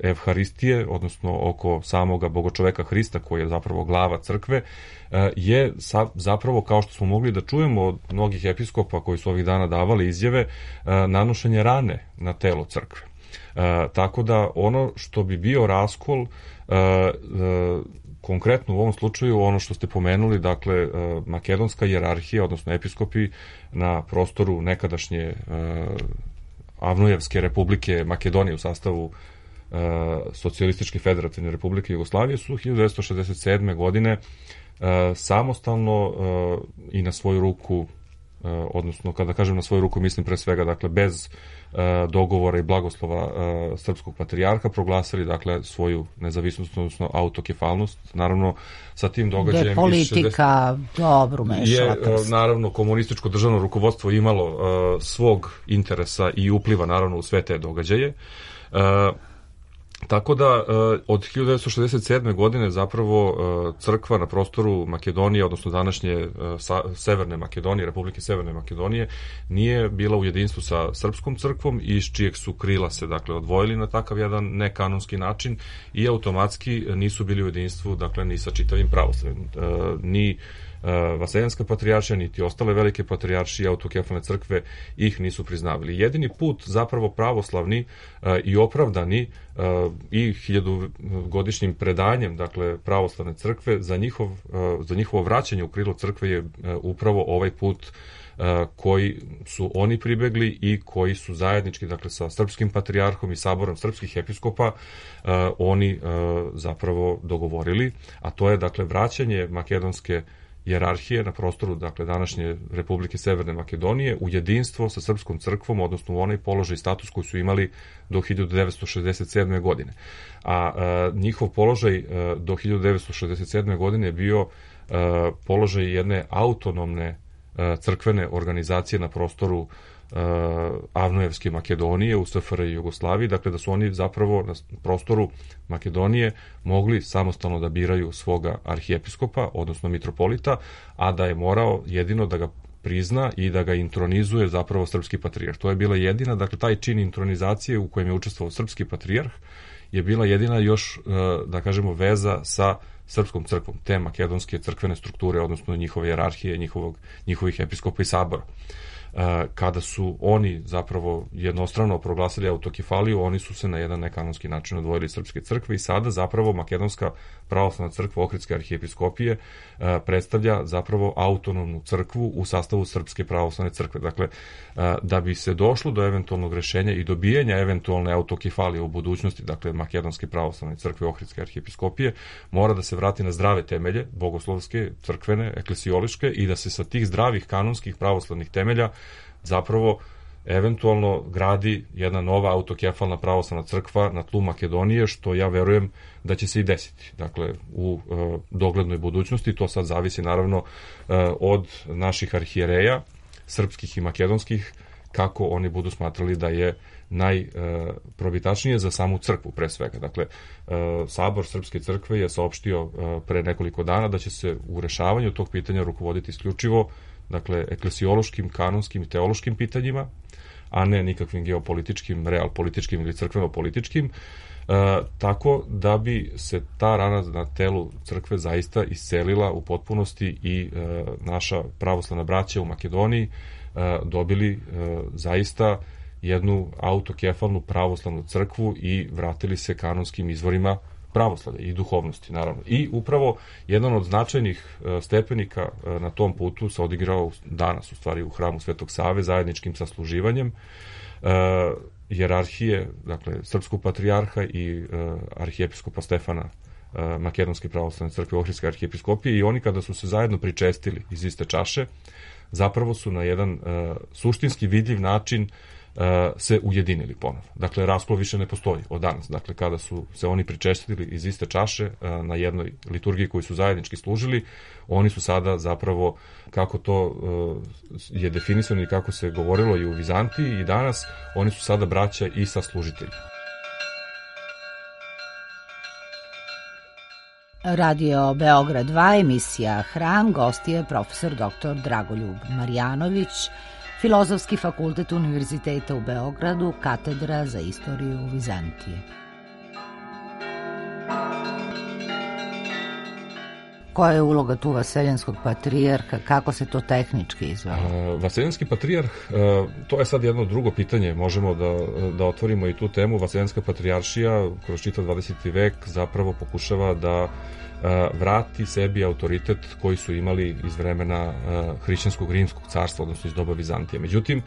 Evharistije, odnosno oko samoga bogočoveka Hrista, koji je zapravo glava crkve, uh, je sa, zapravo, kao što smo mogli da čujemo od mnogih episkopa koji su ovih dana davali izjave, uh, nanošenje rane na telo crkve. Uh, tako da ono što bi bio raskol, uh, uh, konkretno u ovom slučaju ono što ste pomenuli, dakle, uh, makedonska hijerarhija, odnosno episkopi na prostoru nekadašnje uh, Avnujevske republike Makedonije u sastavu uh, Socijalističke federativne republike Jugoslavije su hiljadu devetsto šezdeset sedme. godine uh, samostalno uh, i na svoju ruku, uh, odnosno kada kažem na svoju ruku mislim pre svega, dakle, bez uh, dogovora i blagoslova uh, srpskog patrijarha, proglasili, dakle, svoju nezavisnost, odnosno autokefalnost. Naravno, sa tim događajem... Gde politika dobro mešala je, prst. naravno, komunističko državno rukovodstvo imalo uh, svog interesa i upliva, naravno, u sve te događaje. Uh, Tako da od hiljadu devetsto šezdeset sedme. godine zapravo crkva na prostoru Makedonije, odnosno današnje Severne Makedonije, Republike Severne Makedonije, nije bila u jedinstvu sa srpskom crkvom, iz čijeg su krila se dakle odvojili na takav jedan nekanonski način i automatski nisu bili u jedinstvu dakle ni sa čitavim pravoslavljem. Ni Vaseljenska patrijaršija, niti ostale velike patrijaršije autokefalne crkve ih nisu priznavali. Jedini put zapravo pravoslavni i opravdani i hiljadugodišnjim predanjem dakle pravoslavne crkve za, njihov, za njihovo vraćanje u krilo crkve je upravo ovaj put koji su oni pribegli i koji su zajednički dakle sa srpskim patrijarhom i saborom srpskih episkopa oni zapravo dogovorili, a to je dakle vraćanje makedonske hijerarhije na prostoru dakle današnje Republike Severne Makedonije u jedinstvo sa srpskom crkvom, odnosno u onaj položaj i status koji su imali do hiljadu devetsto šezdeset sedme. godine. A, a njihov položaj a, do hiljadu devetsto šezdeset sedme. godine je bio a, položaj jedne autonomne a, crkvene organizacije na prostoru Avnojevske Makedonije u S F R J i Jugoslaviji, dakle da su oni zapravo na prostoru Makedonije mogli samostalno da biraju svoga arhijepiskopa, odnosno mitropolita, a da je morao jedino da ga prizna i da ga intronizuje zapravo srpski patrijarh. To je bila jedina, dakle taj čin intronizacije u kojem je učestvovao srpski patrijarh je bila jedina još, da kažemo, veza sa srpskom crkvom, te makedonske crkvene strukture, odnosno njihove hijerarhije, njihovog, njihovih episkopa i sabora. Kada su oni zapravo jednostrano proglasili autokefaliju, oni su se na jedan nekanonski način odvojili srpske crkve i sada zapravo Makedonska pravoslavna crkva Ohridske arhijepiskopije predstavlja zapravo autonomnu crkvu u sastavu Srpske pravoslavne crkve. Dakle, da bi se došlo do eventualnog rešenja i dobijanja eventualne autokefalije u budućnosti, dakle Makedonske pravoslavne crkve Ohridske arhijepiskopije, mora da se vrati na zdrave temelje, bogoslovske, crkvene, eklesijoliške, i da se sa tih zdravih kanonskih pravoslavnih temelja zapravo eventualno gradi jedna nova autokefalna pravoslavna crkva na tlu Makedonije, što ja verujem da će se i desiti. Dakle, u e, doglednoj budućnosti, to sad zavisi naravno e, od naših arhijereja, srpskih i makedonskih, kako oni budu smatrali da je najprobitačnije za samu crkvu pre svega. Dakle, Sabor Srpske crkve je saopštio pre nekoliko dana da će se u rešavanju tog pitanja rukovoditi isključivo dakle, eklesijološkim, kanonskim i teološkim pitanjima, a ne nikakvim geopolitičkim, realpolitičkim ili crkveno-političkim, e, tako da bi se ta rana na telu crkve zaista iscelila u potpunosti i e, naša pravoslavna braća u Makedoniji e, dobili e, zaista jednu autokefalnu pravoslavnu crkvu i vratili se kanonskim izvorima pravoslavlja i duhovnosti, naravno. I upravo jedan od značajnih stepenika na tom putu se odigrao danas, u stvari, u hramu Svetog Save, zajedničkim sasluživanjem hijerarhije, dakle, srpskog patrijarha i arhijepiskopa Stefana Makedonske pravoslavne crkve Ohridske arhijepiskopije, i oni kada su se zajedno pričestili iz iste čaše, zapravo su na jedan suštinski vidljiv način se ujedinili ponovo. Dakle, raskol više ne postoji od danas. Dakle, kada su se oni pričestili iz iste čaše na jednoj liturgiji koju su zajednički služili, oni su sada zapravo, kako to je definisano i kako se govorilo i u Vizantiji i danas, oni su sada braća i saslužitelji. Radio Beograd dva, emisija Hram, gost je profesor doktor Dragoljub Marjanović, Filozofski fakultet Univerziteta u Beogradu, katedra za istoriju Vizantije. Koja je uloga tu vaseljenskog patrijarha, kako se to tehnički izvelo? Vaseljenski patrijarh, to je sad jedno drugo pitanje, možemo da, da otvorimo i tu temu. Vaseljenska patrijaršija kroz čitav dvadeseti vek zapravo pokušava da vrati sebi autoritet koji su imali iz vremena hrišćanskog rimskog carstva, odnosno iz doba Vizantije. Međutim,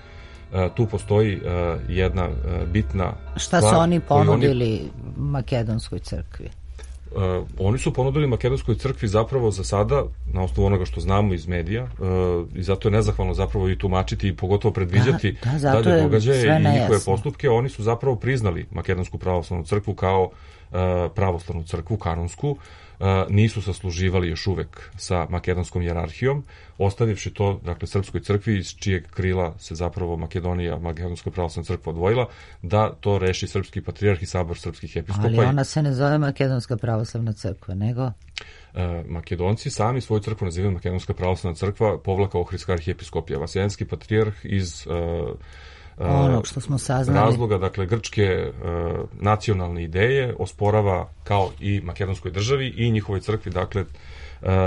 tu postoji jedna bitna Šta stvar. Šta su oni ponudili oni... Makedonskoj crkvi? Uh, oni su ponudili Makedonskoj crkvi zapravo za sada, na osnovu onoga što znamo iz medija, uh, i zato je nezahvalno zapravo i tumačiti i pogotovo predviđati da, da, dalje događaje i njihove postupke. Oni su zapravo priznali Makedonsku pravoslavnu crkvu kao uh, pravoslavnu crkvu, kanonsku, nisu sasluživali još uvek sa makedonskom hijerarhijom, ostavivši to, dakle, srpskoj crkvi iz čijeg krila se zapravo Makedonija, makedonska pravoslavna crkva odvojila, da to reši srpski patrijarh i sabor srpskih episkopa. Ali ona se ne zove makedonska pravoslavna crkva, nego... Makedonci sami svoju crkvu nazivaju makedonska pravoslavna crkva, povlaka Ohridska arhijepiskopija. Vaseljenski patrijarh iz uh, onog što smo saznali. razloga, dakle, grčke uh, nacionalne ideje osporava kao i makedonskoj državi i njihovoj crkvi, dakle, uh,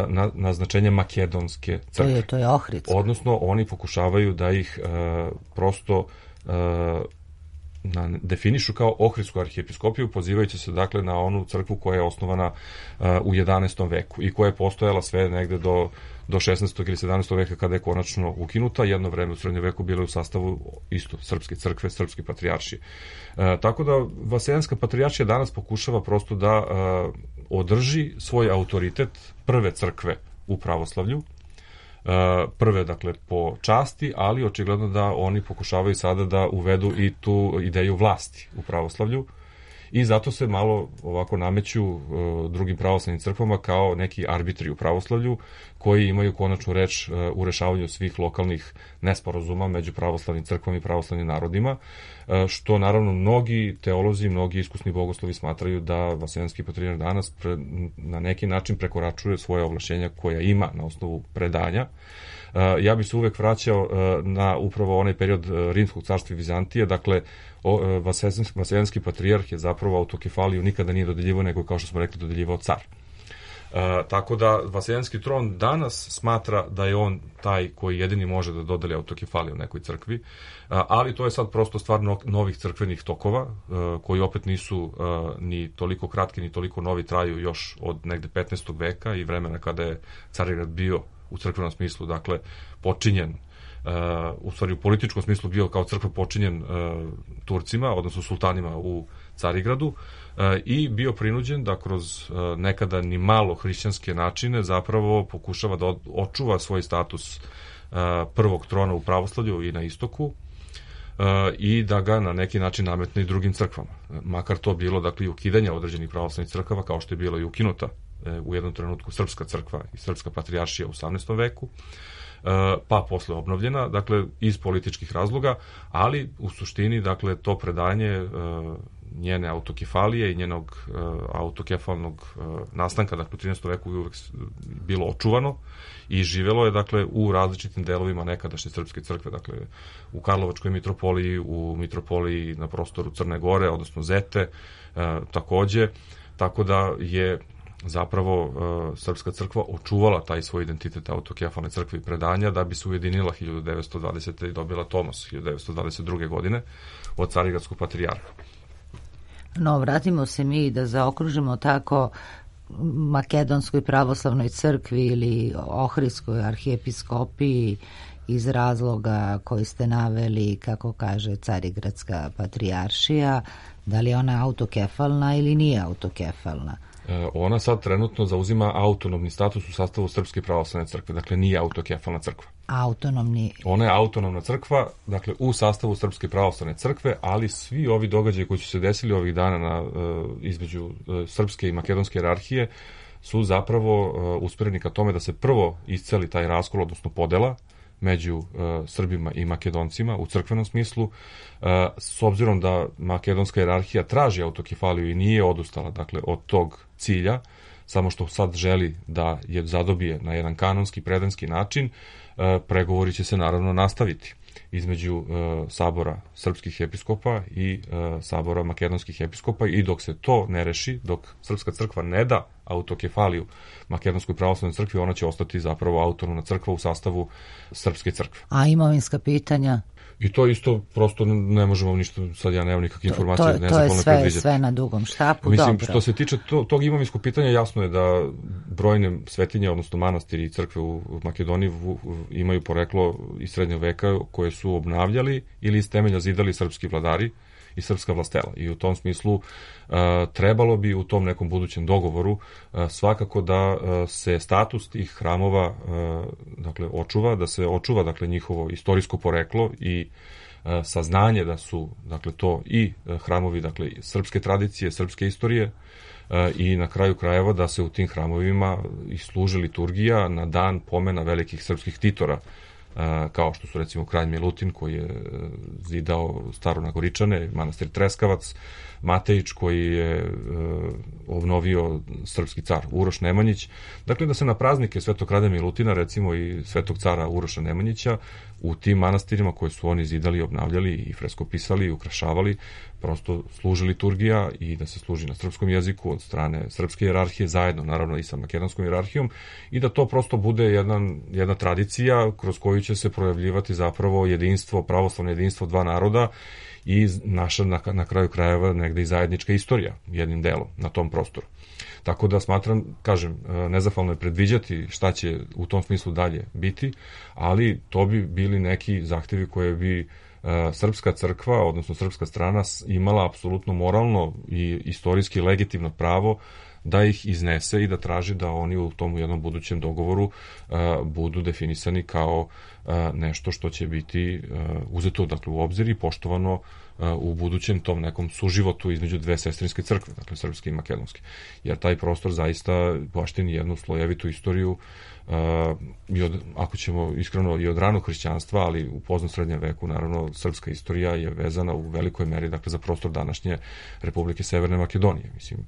na, naznačenje makedonske crkve. To je, to je Ohridska. Odnosno, oni pokušavaju da ih uh, prosto uh, na, definišu kao Ohridsku arhijepiskopiju, pozivajući se, dakle, na onu crkvu koja je osnovana uh, u jedanaestom veku i koja je postojala sve negde do, do šesnaestog ili sedamnaestog veka kada je konačno ukinuta. Jedno vreme u srednjem veku bilo je u sastavu isto srpske crkve, srpske patrijaršije. Uh, tako da Vaseljenska patrijaršija danas pokušava prosto da uh, održi svoj autoritet prve crkve u pravoslavlju, prve, dakle, po časti, ali očigledno da oni pokušavaju sada da uvedu i tu ideju vlasti u pravoslavlju i zato se malo ovako nameću uh, drugim pravoslavnim crkvama kao neki arbitri u pravoslavlju koji imaju konačnu reč uh, u rešavanju svih lokalnih nesporazuma među pravoslavnim crkvama i pravoslavnim narodima, uh, što naravno mnogi teolozi, mnogi iskusni bogoslovi smatraju da Vaseljenski patrijarh danas pre, na neki način prekoračuje svoje ovlašćenja koja ima na osnovu predanja. Uh, ja bih se uvek vraćao uh, na upravo onaj period uh, Rimskog carstva i Vizantije, dakle, uh, Vaseljenski, Vaseljenski patrijarh je zapravo autokefaliju nikada nije dodeljivao, nego, kao što smo rekli, dodeljivao car. Uh, tako da Vaseljenski tron danas smatra da je on taj koji jedini može da dodeli autokefaliju nekoj crkvi, uh, ali to je sad prosto stvar no, novih crkvenih tokova, uh, koji opet nisu uh, ni toliko kratki, ni toliko novi, traju još od negde petnaestog veka i vremena kada je Carigrad bio u crkvenom smislu, dakle, počinjen, uh, u stvari u političkom smislu bio kao crkva počinjen uh, Turcima, odnosno sultanima u Carigradu, uh, i bio prinuđen da kroz uh, nekada ni malo hrišćanske načine zapravo pokušava da od, očuva svoj status uh, prvog trona u pravoslavlju i na istoku, uh, i da ga na neki način nametne i drugim crkvama. Makar to bilo, dakle, i ukidanje određenih pravoslavnih crkava, kao što je bilo i ukinuta u jednom trenutku srpska crkva i srpska patrijaršija u osamnaestom veku, pa posle obnovljena, dakle, iz političkih razloga, ali u suštini, dakle, to predanje njene autokefalije i njenog autokefalnog nastanka, dakle, u trinaestom veku je uvek bilo očuvano i živelo je, dakle, u različitim delovima nekadašnje srpske crkve, dakle, u Karlovačkoj mitropoliji, u mitropoliji na prostoru Crne Gore, odnosno Zete, takođe, tako da je zapravo uh, srpska crkva očuvala taj svoj identitet autokefalne crkve i predanja da bi se ujedinila hiljadu devetsto dvadesete i dobila Tomos hiljadu devetsto dvadeset druge godine od Carigradskog patrijarha. No, vratimo se mi da zaokružimo tako makedonskoj pravoslavnoj crkvi ili Ohridskoj arhijepiskopiji iz razloga koji ste naveli, kako kaže Carigradska patrijaršija, da li je ona autokefalna ili nije autokefalna? Ona sad trenutno zauzima autonomni status u sastavu Srpske pravoslavne crkve, dakle nije autokefalna crkva. Autonomni... Ona je autonomna crkva, dakle u sastavu Srpske pravoslavne crkve, ali svi ovi događaji koji su se desili ovih dana na, između srpske i makedonske hijerarhije su zapravo usmereni ka tome da se prvo isceli taj raskol, odnosno podela među uh, Srbima i Makedoncima u crkvenom smislu, uh, s obzirom da makedonska hijerarhija traži autokefaliju i nije odustala, dakle, od tog cilja, samo što sad želi da je zadobije na jedan kanonski, predanski način, uh, pregovori će se naravno nastaviti između uh, sabora srpskih episkopa i uh, sabora makedonskih episkopa i dok se to ne reši, dok srpska crkva ne da autokefaliju makedonskoj pravoslavnoj crkvi, ona će ostati zapravo autonomna crkva u sastavu srpske crkve. A imovinska pitanja? I to isto prosto ne možemo ništa, sad ja nemam nikakve informacije. To, to, to je sve, sve na dugom štapu. Mislim, dobro. Što se tiče to, tog imovinskog pitanja, jasno je da brojne svetinje, odnosno manastiri i crkve u Makedoniji v, imaju poreklo iz srednjeg veka koje su obnavljali ili iz temelja zidali srpski vladari i srpska vlastela. I u tom smislu uh, trebalo bi u tom nekom budućem dogovoru uh, svakako da uh, se status tih hramova uh, dakle očuva, da se očuva dakle njihovo istorijsko poreklo i saznanje da su, dakle, to i hramovi, dakle, srpske tradicije, srpske istorije, i na kraju krajeva da se u tim hramovima i služi liturgija na dan pomena velikih srpskih titora, kao što su recimo kralj Milutin koji je zidao Staro-Nagoričane, manastir Treskavac, Matejić koji je obnovio srpski car Uroš Nemanjić. Dakle, da se na praznike Svetog kralja Milutina, recimo i Svetog cara Uroša Nemanjića, u tim manastirima koje su oni zidali, obnavljali i freskopisali i ukrašavali, prosto služi liturgija i da se služi na srpskom jeziku od strane srpske hijerarhije, zajedno naravno i sa makedonskom hijerarhijom, i da to prosto bude jedan, jedna tradicija kroz koju će se projavljivati zapravo jedinstvo, pravoslavno jedinstvo dva naroda i naša na, na kraju krajeva negde i zajednička istorija jednim delom na tom prostoru. Tako da smatram, kažem, nezahvalno je predviđati šta će u tom smislu dalje biti, ali to bi bili neki zahtevi koje bi srpska crkva, odnosno srpska strana imala apsolutno moralno i istorijski legitimno pravo da ih iznese i da traži da oni u tom jednom budućem dogovoru uh, budu definisani kao uh, nešto što će biti uh, uzeto, dakle, u obzir i poštovano uh, u budućem tom nekom suživotu između dve sestrinske crkve, dakle srpske i makedonske. Jer taj prostor zaista baštini jednu slojevitu istoriju uh, i od, ako ćemo iskreno i od ranog hrišćanstva, ali u poznom srednjem veku, naravno, srpska istorija je vezana u velikoj meri, dakle, za prostor današnje Republike Severne Makedonije. Mislim,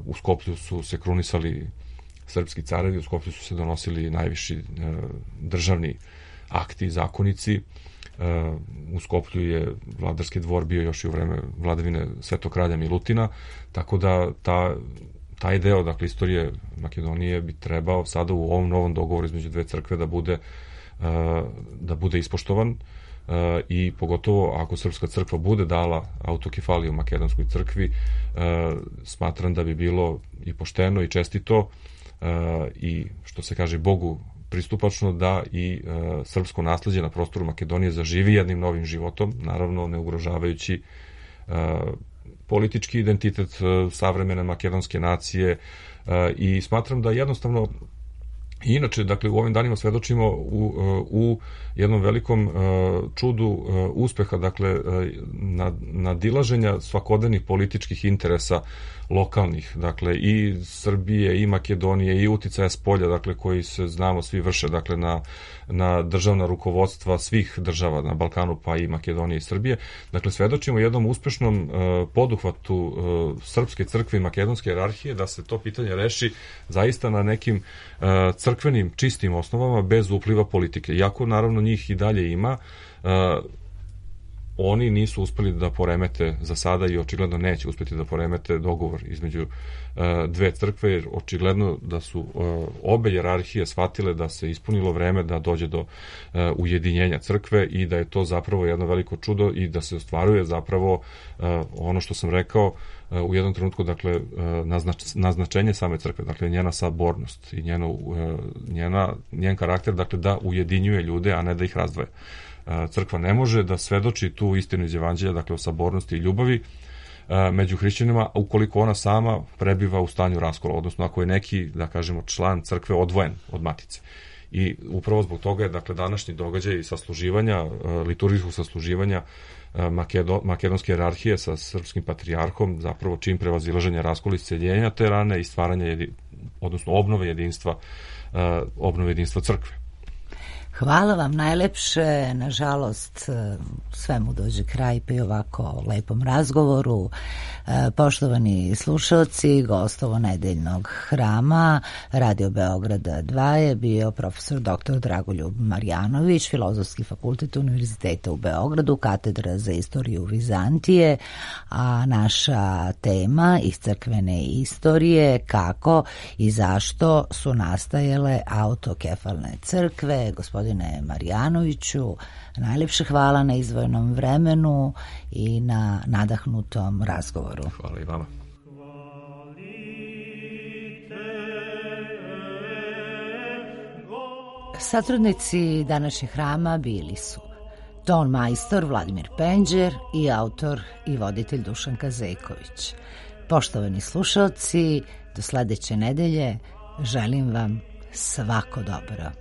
u Skoplju su se krunisali srpski carevi, u Skoplju su se donosili najviši državni akti i zakonici. U Skoplju je vladarski dvor bio još i u vreme vladavine Svetog kralja Milutina, tako da ta, taj deo, dakle, istorije Makedonije bi trebao sada u ovom novom dogovoru između dve crkve da bude, da bude ispoštovan. Uh, i pogotovo ako Srpska crkva bude dala autokefaliju makedonskoj crkvi, uh, smatram da bi bilo i pošteno i čestito uh, i, što se kaže, Bogu pristupačno da i uh, srpsko nasleđe na prostoru Makedonije zaživi jednim novim životom, naravno ne ugrožavajući uh, politički identitet uh, savremene makedonske nacije, uh, i smatram da jednostavno I inače, dakle, u ovim danima svedočimo u, u jednom velikom uh, čudu uh, uspeha, dakle, uh, nad, nadilaženja svakodnevnih političkih interesa lokalnih, dakle, i Srbije, i Makedonije, i uticaja spolja, dakle, koji se, znamo, svi vrše, dakle, na, na državna rukovodstva svih država na Balkanu, pa i Makedonije i Srbije. Dakle, svedočimo jednom uspešnom uh, poduhvatu uh, srpske crkve i makedonske hijerarhije da se to pitanje reši zaista na nekim uh, crkvenim, čistim osnovama, bez upliva politike. Iako, naravno, njih i dalje ima, uh, oni nisu uspeli da poremete za sada i očigledno neće uspeti da poremete dogovor između uh, dve crkve, jer očigledno da su uh, obe hijerarhije shvatile da se ispunilo vreme da dođe do uh, ujedinjenja crkve i da je to zapravo jedno veliko čudo i da se ostvaruje zapravo uh, ono što sam rekao uh, u jednom trenutku, dakle, uh, naznač, naznačenje same crkve, dakle, njena sabornost i njeno, uh, njena, njen karakter, dakle, da ujedinjuje ljude, a ne da ih razdvaja. Crkva ne može da svedoči tu istinu iz Evanđelja, dakle, o sabornosti i ljubavi među hrišćanima, ukoliko ona sama prebiva u stanju raskola, odnosno ako je neki, da kažemo, član crkve odvojen od matice. I upravo zbog toga je, dakle, današnji događaj sasluživanja, liturgijskog sasluživanja Makedo, makedonske hijerarhije sa srpskim patrijarhom, zapravo čim prevazilaženja raskola, isceljenja te rane i stvaranja, jedi, odnosno obnove jedinstva, obnove jedinstva crkve. Hvala vam najlepše, nažalost svemu dođe kraj pri ovako lepom razgovoru. Poštovani slušalci, gostovo nedeljnog hrama Radio Beograda dva je bio profesor doktor Dragoljub Marjanović, Filozofski fakultet Univerziteta u Beogradu, katedra za istoriju Vizantije, a naša tema iz crkvene istorije, kako i zašto su nastajale autokefalne crkve. Gospodine Marjanoviću, najlepše hvala na izdvojenom vremenu i na nadahnutom razgovoru. Hvala i vama. Satrudnici današnjeg hrama bili su ton majstor Vladimir Penđer i autor i voditelj Dušan Kazejković. Poštovani slušalci, do sledeće nedelje želim vam svako dobro.